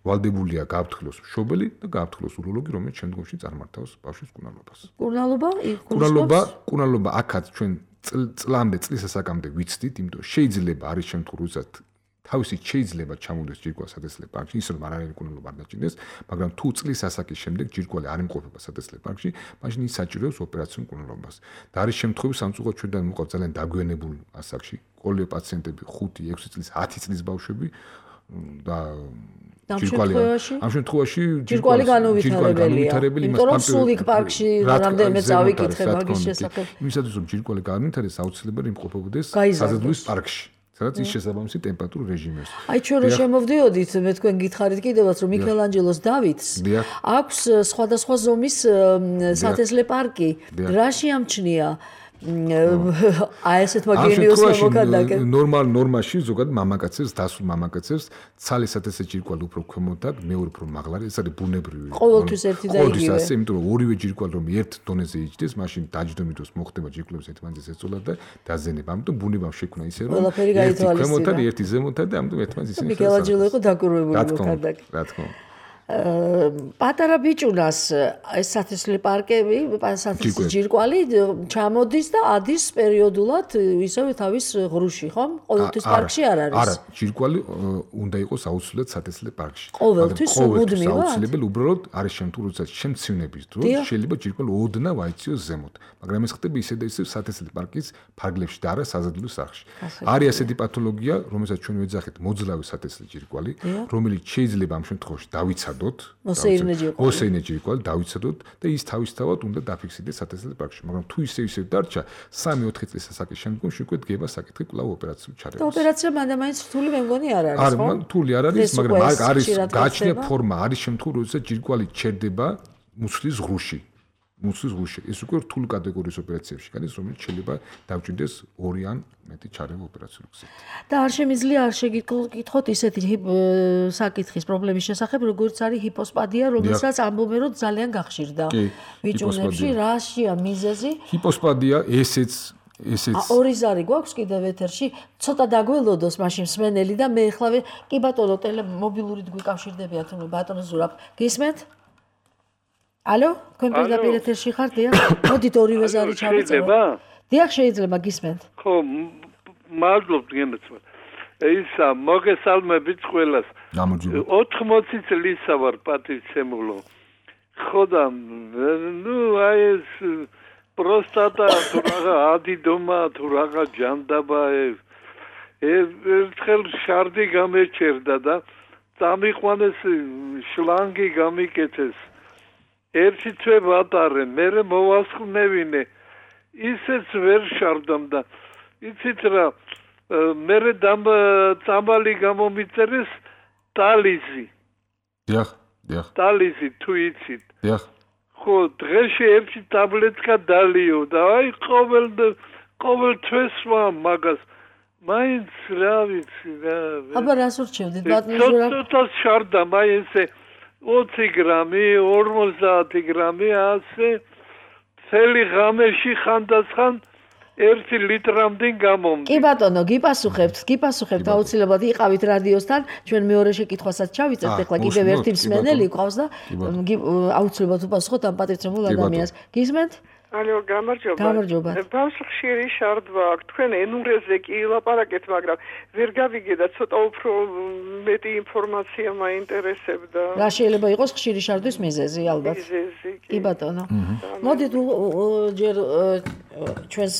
ვალდებულია გააფრთხილოს მშობელი და გააფრთხილოს უროლოგი, რომელიც შემდგომში წარმართავს ბავშვის კურნალობას. კურნალობა? კურნალობა, კურნალობა აქაც ჩვენ წლამდე, წლის ასაკამდე ვიცდით, იმიტომ შეიძლება არის შემთხვევა, როდესაც თავისით შეიძლება ჩამოვიდეს ჯირკვალი სათესლე პარკში, ისე რომ არანაირი კურნალობა არ დაჭინდეს, მაგრამ თუ წლის ასაკის შემდეგ ჯირკვალი არ იმყოფება სათესლე პარკში, მაშინ ის საჭიროებს ოპერაციულ კურნალობას. და არის შემთხვევები სამწუხაროდ ჩვენთან მოყავთ ძალიან დაგვიანებულ ასაკში, ყოლია პაციენტები ხუთი, ექვსი წლის, ათი წლის ბავშვები და ჯირკვალი ამ შემთხვევაში ჯირკვალი განუვითარებელია. იმიტომ რომ სულიკ პარკში რამდენიმე წავიკითხე მაგის შესახებ. იმისათვის რომ ჯირკვალი განუვითარდეს, აუცილებელი იმყოფებოდეს საზადულის პარკში. სადაც ის შესაბამისი ტემპერატურულ რეჟიმებს. აი ჩვენ რო შემოვდიოდით, მე თქვენ გითხარით კიდევაც რომ მიქელანჯელოს დავითს აქვს სხვადასხვა ზომის სათესლე პარკი. რაში ამჩნია? აი ესეთ მაგენიოს მოკადაკე. ნორმალ ნორმაში ზოგადად მამაკაცებს, დასულ მამაკაცებს ცალი სათესლე ჯირკვალი უფრო ქვემოთ აქვს, მეორე უფრო მაღლა, ეს არის ბუნებრივი. ყოველთვის ერთი და იგივე. ყოველთვის ასე, იმიტომ რომ ორივე ჯირკვალი რომ ერთ დონეზე იჯდეს, მაშინ დაჯდომით დროს მოხდება ჯირკვლების ერთმანეთს ეწოლა და დაზენება. ამიტომ ბუნებამ შექმნა ისე რომ ერთი ქვემოთად, ერთი ზემოთად და ამიტომ ერთმანეთს ისინი მიქელანჯელო იყო დაკვირვებული მოკადაკე. რა თქმა უნდა. პატარა ბიჭუნას ეს სათესლე პარკები, სათესლე ჯირკვალი ჩამოდის და ადის პერიოდულად ისევე თავის ღრუში, ხომ? ყოველთვის პარკში არ არის. არა, ჯირკვალი უნდა იყოს აუცილებლად სათესლე პარკში. ყოველთვის მუდმივად. აუცილებელი უბრალოდ არის შემთხვევა, როცა შემცვენების დროს შეიძლება ჯირკვალი ოდნავ აიწიოს ზემოთ, მაგრამ ეს ხდება ისე და ისე სათესლე პარკის ფარგლებში და არა საზადულის არხში. არის ასეთი პათოლოგია, რომელსაც ჩვენ ვეძახით მოძლავი სათესლე ჯირკვალი, რომელიც შეიძლება ამ შემთხვევაში დავიცადოთ მოსეინე ჯირკვალი დავიცადოთ და ის თავისთავად უნდა დაფიქსირდეს სათესლე პარკში, მაგრამ თუ ისე ისე დარჩა სამი ოთხი წლის ასაკის შემდგომში უკვე დგება საკითხი კვლავ ოპერაციულ ჩარევას. და ოპერაცია მანდ-მაინც რთული მე მგონი არ არის, ხო? არა, რთული არ არის, მაგრამ არის გააჩნია ფორმა, არის შემთხვევა, როდესაც ჯირკვალი ჩერდება მუცლის ღრუში. მუცლის ღრუში. ეს უკვე რთული კატეგორიის ოპერაციებში გადის, რომელიც შეიძლება დავჭირდეს ორი ან მეტი ჩარევა ოპერაციულ გზით. და არ შემიძლია არ შეგიკითხოთ ისეთი საკითხის პრობლემის შესახებ, როგორც არის ჰიპოსპადია, რომელსაც ამბობენ, რომ ძალიან გახშირდა ბიჭუნებში. რაშია მიზეზი? ჰიპოსპადია ესეც ესეც ორი ზარი გვაქვს კიდევ ეთერში, ცოტა დაგველოდოს მაშინ მსმენელი და მე ეხლა კი ბატონო ტელე მობილურით გვიკავშირდებიან თუ ბატონო ზურაბ. გისმენთ? ალო, თქვენ პირდაპირ ეთერში ხართ? დიახ. მოდით ორივე ზარი ჩავიწეროთ. დიახ, შეიძლება გისმენთ. ხო, მადლობთ გენაცვალ. ისა მოგესალმებით ყველას. ოთხმოცი წლისა ვარ პატივცემულო. ხო და ნუ აი ეს პროსტატა თუ რაღა ადიდომა თუ რაღა ჯანდაბა ერთხელ შარდი გამეჩერდა და წამიყვანეს შლანგი გამიკეთეს. ერთი თვე ვატარე, მერე მოვასხნევინე. ისეც ვერ შარდამ და იცით რა, მერე წამალი გამომიწერეს ტალიზი. დიახ, დიახ. ტალიზი თუ იცით. დიახ. ხო, დღეში ერთი ტაბლეტკა დალიო და აი ყოველ ყოველ თვეს ვამ მაგას. მაინც რა ვიცი რა. აბა რას ურჩევდით ბატონო ზურაბ? ცოტა შარდა მაინც ოცი გრამი, ორმოცდაათი გრამი ასე წელი ღამეში ხანდახან ერთი ლიტრამდე გამომდი. კი ბატონო, გიპასუხებთ, გიპასუხებთ აუცილებლად იყავით რადიოსთან, ჩვენ მეორე შეკითხვასაც ჩავიწერთ, ეხლა კიდევ ერთი მსმენელი გვყავს და აუცილებლად უპასუხოთ ამ პატრიცემულ ადამიანს. გისმენთ? ალო, გამარჯობა. გამარჯობა. ბავშვი ხშირი შარდვა აქვს. თქვენ ენურეზე კი ლაპარაკეთ, მაგრამ ვერ გავიგე და ცოტა უფრო მეტი ინფორმაცია მაინტერესებდა. რა შეიძლება იყოს ხშირი შარდვის მიზეზი, ალბათ. მიზეზი. კი ბატონო. მოდით ჯერ ჩვენს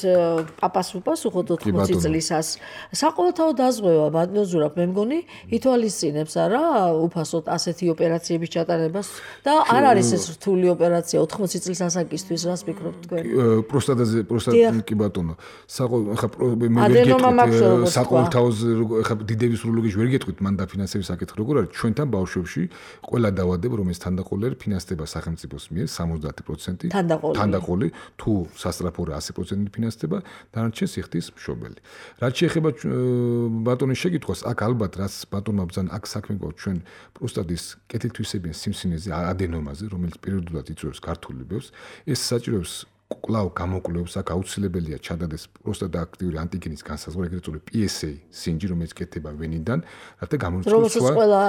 პაპას უპასუხოთ ოთხმოცი წლისას. საყოველთაო დაზღვევა ბატონო ზურაბ, მე მგონი ითვალისწინებს არა უფასოდ ასეთი ოპერაციების ჩატარებას და არ არის ეს რთული ოპერაცია ოთხმოცი წლის ასაკისთვის, რას ფიქრობთ? პროსტატაზე პროსტატი კი ბატონო საყო ხა მე ვერ გეტყვით საყოველთაოზე ხა დიდების უროლოგიაში ვერ გეტყვით მან დაფინანსების საკითხი როგორ არის ჩვენთან ბავშვებში ყველა დავადებ რომ ეს თანდაყოლი არის ფინანსდება სახელმწიფოს მიერ სამოცდაათი პროცენტი თანდაყოლი თუ სასტრაფოა ასი პროცენტი ფინანსდება დანარჩენს იხდის მშობელი რაც შეეხება ბატონის შეკითხვას აქ ალბათ რაც ბატონმა ბრძანა აქ საქმე გვაქვს ჩვენ პროსტატის კეთილთვისებიან სიმსინეზე ადენომაზე რომელიც პერიოდულად იწვევს ქართული ბევს ეს საჭიროებს კვლავ გამოკვლევებს აქ აუცილებელია ჩადადეს პროსტატა აქტიური ანტიგენის განსაზღვრა ეგრეთ წოდებული პი ეს ეი სინჯი რომელიც კეთდება ვენიდან რათა გამოიწვევს სხვა ყველა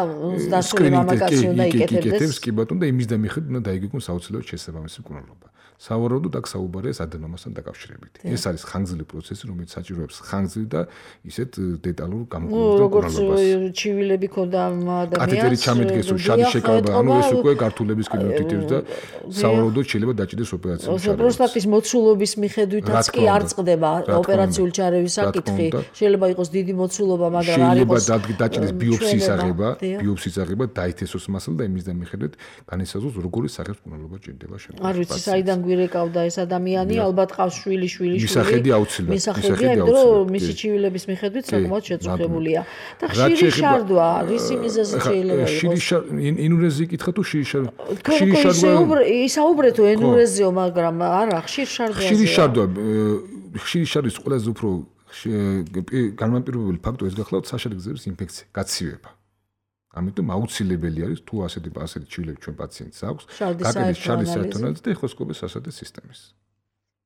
დასწრული მამაკაცი უნდა იკეთებდეს კი ბატონო და იმის და მიხედვით უნდა დაიგეგმოს აუცილებლად შესაბამისი მკურნალობა სავარაუდოდ აქ საუბარია ადენომასთან დაკავშირებით ეს არის ხანგრძლივი პროცესი რომელიც საჭიროებს ხანგრძლივ და ისეთ დეტალურ გამოკვლევებს და მკურნალობას როგორც ჩივილები ქონდა ადამიანს კათეტერი ჩამედგეს რომ შადი შეკავება ანუ ეს უკვე გართულების კინოტიტებს და სავარაუდოდ შეიძლება დაჭიდეს ოპერაცია ის მოცულობის მიხედვითაც კი არ წყდება ოპერაციული ჩარევის საკითხი. შეიძლება იყოს დიდი მოცულობა, მაგრამ არ იყოს შეიძლება დაჭიდეს ბიოფსიის აღება, ბიოფსიის აღება დაითესოს მასალა და იმის და მიხედვით განისაზღვროს როგორი სახის მკურნალობა ჭირდება შემდგომ. არ ვიცი, საიდან გვირეკავდა ეს ადამიანი, ალბათ ყავს შვილი, შვილი, შვილი. მისახედი აუცილებლად. მისახედი, იმიტომ რომ მისი ჩივილების მიხედვით საკმაოდ შეწუხებულია. და ხშირი შარდვა, რისი მიზეზი შეიძლება იყოს? ხშირი შარდვა, ენურეზი კითხა თუ ხშირი შარდვა? ხშირი შარდვა ისაუბრეთო ენურეზიო, მაგრამ არა ხშირ შარდვაზე. ხშირი შარდვა, ხშირი შარდვის ყველაზე უფრო განმაპირობებელი ფაქტორი ეს გახლავთ საშარდ გზების ინფექცია, გაცივება. ამიტომ აუცილებელი არის თუ ასეთი ასეთი ჩივილები ჩვენ პაციენტს აქვს, გაკეთდეს შარდის საერთო-ანალიზი და ეხოსკოპის სასადე სისტემის.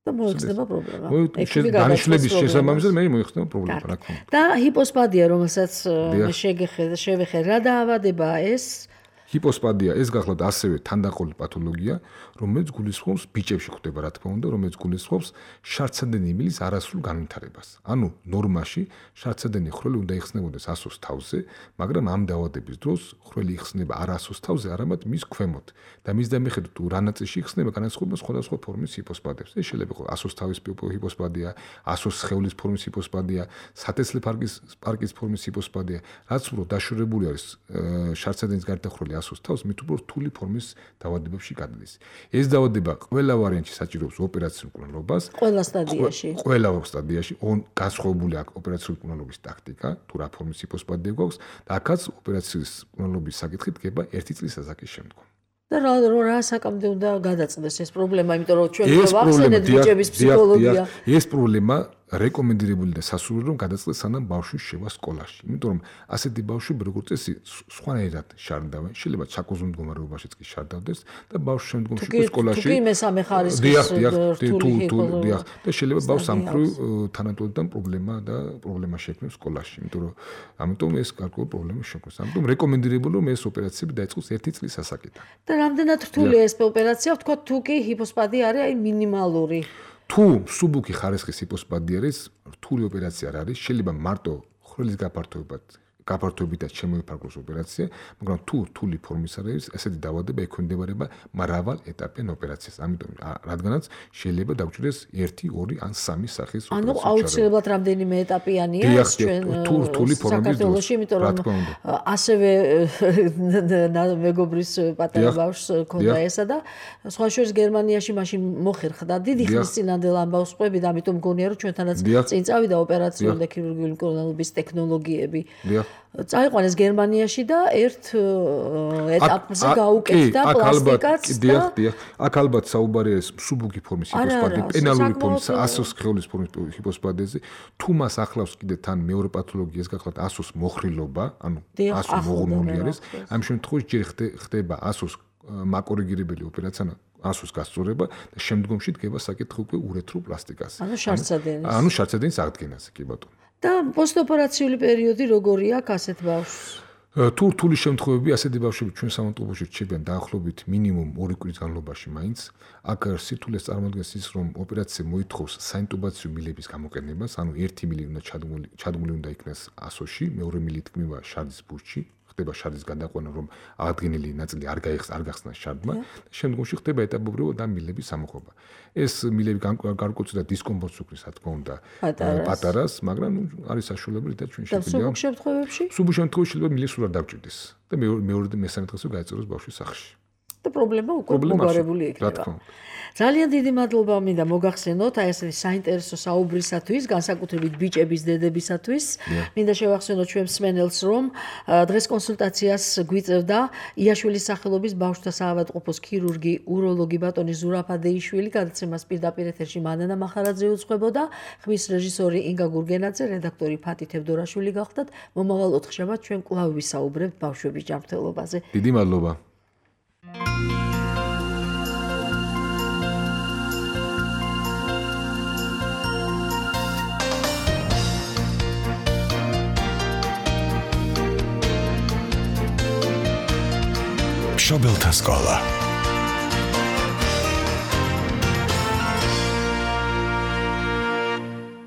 და მოიხსნება პრობლემა. დანიშნულების შესაბამისად მე მოიხსნება პრობლემა, რა თქმა უნდა. და ჰიპოსპადია, რომელსაც შევეხე, რა დაავადებაა ეს? ჰიპოსპადია ეს გახლავთ ასევე თანდაყოლი პათოლოგია, რომელიც გულისხმობს ბიჭებში ხდება, რა თქმა უნდა, რომელიც გულისხმობს შარდსადენი მილის არასრულ განვითარებას. ანუ ნორმაში შარდსადენი ხრელი უნდა იხსნებოდეს ასოს თავზე, მაგრამ ამ დაავადების დროს ხრელი იხსნება არა ასოს თავზე, არამედ მის ქვემოთ და მის და მიხედვით თუ რა ნაწილში იხსნება, განასხვავება სხვადასხვა ფორმის ჰიპოსპადებს. ეს შეიძლება იყოს ასოს თავის ჰიპოსპადია, ასოს სხეულის ფორმის ჰიპოსპადია, სათესლე პარკის პარკის ფორმის ჰიპოსპადია, რაც უფრო დაშორებული არის შარდსადენის გარდა ხრელი ასოს თავს მით უფრო რთული ფორმის დაავადებებში გადადის. ეს დაავადება ყველა ვარიანტში საჭიროებს ოპერაციულ მკურნალობას. ყველა სტადიაში. ყველა სტადიაში განსხვავებული აქვს ოპერაციული მკურნალობის ტაქტიკა, თუ რა ფორმის ჰიპოსპადია გვაქვს და აქაც ოპერაციის მკურნალობის საკითხი დგება ერთი წლის ასაკის შემდგომ. და რა რა საკამდე უნდა გადაწყდეს ეს პრობლემა, იმიტომ რომ ჩვენ ვახსენეთ ბიჭების ფსიქოლოგია. ეს პრობლემა რეკომენდირებული და სასურველი რომ გადაწყდეს სანამ ბავშვი შევა სკოლაში. იმიტომ რომ ასეთი ბავშვები როგორც წესი სხვანაირად შარდავენ, შეიძლება ჩაკოზულ მდგომარეობაშიც კი შარდავდეს და ბავშვი შემდგომში სკოლაში თუ კი მესამე ხარისხის რთული ჰიპოსპადია და შეიძლება ბავშვს ამ მხრივ თანატოლიდან პრობლემა და პრობლემა შექმნებს სკოლაში. იმიტომ რომ ამიტომ ეს გარკვეული პრობლემა შექმნეს. ამიტომ რეკომენდირებული რომ ეს ოპერაციები დაიწყოს ერთი წლის ასაკიდან. და რამდენად რთულია ეს ოპერაცია, ვთქვა თუ კი ჰიპოსპადია არის აი მინიმალური. თუ მსუბუქი ხარისხის ჰიპოსპადია არის, რთული ოპერაცია არ არის, შეიძლება მარტო ხრელის გაფართოებად გაფართოებითაც შემოიფარგლოს ოპერაცია, მაგრამ თუ რთული ფორმის არის, ესეთი დაავადება ექვემდებარება მრავალეტაპიან ოპერაციას. ამიტომ რადგანაც შეიძლება დაგვჭირდეს ერთი, ორი ან სამი სახის ოპერაცია. ანუ აუცილებლად რამდენიმე ეტაპიანია ეს ჩვენ თუ რთული ფორმის საქართველოში, იმიტომ რომ ასევე მეგობრის პატარა ბავშვს ქონდა ესა და სხვა შორის გერმანიაში მაშინ მოხერხდა დიდი ხნის წინანდელ ამბავს ყვები და ამიტომ მგონია რომ ჩვენთანაც წინ წავიდა ოპერაციული და ქირურგიული მკურნალობის ტექნოლოგიები. წაიყვანეს გერმანიაში და ერთ ეტაპზე გაუკეთდა პლასტიკაც და დიახ, დიახ. აქ ალბათ საუბარია ეს მსუბუქი ფორმის ჰიპოსპადე, პენალური ფორმის ასოს სხეულის ფორმის ჰიპოსპადეზე. თუ მას ახლავს კიდე თან მეორე პათოლოგიას გახლავთ ასოს მოხრილობა, ანუ ასო მოღუნული არის. ამ შემთხვევაში ჯერ ხდება ასოს მაკორიგირებელი ოპერაცია, ასოს გასწორება და შემდგომში დგება საკითხი უკვე ურეთრულ პლასტიკაზე. ანუ შარცადენის. ანუ შარცადენის აღდგენაზე, კი ბატონო. და პოსტოპერაციული პერიოდი როგორია ასეთ ბავშვს? თუ რთული შემთხვევები ასეთი ბავშვები ჩვენ სამონტყობოში რჩებიან დაახლოებით მინიმუმ ორი კვირის განმავლობაში მაინც. აქ სირთულეს წარმოადგენს ის, რომ ოპერაცია მოითხოვს საინტუბაციო მილების გამოყენებას, ანუ ერთი მილი უნდა ჩადგმული ჩადგმული უნდა იქნას ასოში, მეორე მილი თქმება შარდის ბურჯში. ხდება შარდის გადაყვანა, რომ აღდგენილი ნაწილი არ გაიხსნა, არ გახსნა შარდმა და შემდგომში ხდება ეტაპობრივად ამ მილების სამოხობა. ეს მილები გარკვეულწილად დისკომფორტს უქმნის, რა თქმა უნდა, პატარას, მაგრამ არის საშუალება, და ჩვენ შეგვიძლია სუბუქ შემთხვევებში? სუბუქ შემთხვევაში შეიძლება მილის სულ არ დავჭირდეს და მეორე და მესამე დღესვე გაეწევოს ბავშვის სახლში. და პრობლემა უკვე მოგვარებული იქნება. ძალიან დიდი მადლობა მინდა მოგახსენოთ აი ესეთი საინტერესო საუბრისათვის, განსაკუთრებით ბიჭების დედებისათვის. მინდა შევახსენოთ ჩვენ მსმენელს, რომ დღეს კონსულტაციას გვიწევდა იაშვილის სახელობის ბავშვთა საავადმყოფოს ქირურგი, უროლოგი ბატონი ზურაფ ადეიშვილი, გადაცემას პირდაპირ ეთერში მანანა მახარაძე უძღვებოდა, ხმის რეჟისორი ინგა გურგენაძე, რედაქტორი ფათი თევდორაშვილი გახდათ. მომავალ ოთხშაბათს ჩვენ კვლავ ვისაუბრებთ ბავშვების ჯანმრთელობაზე. დიდი მადლობა. მშობელთა სკოლა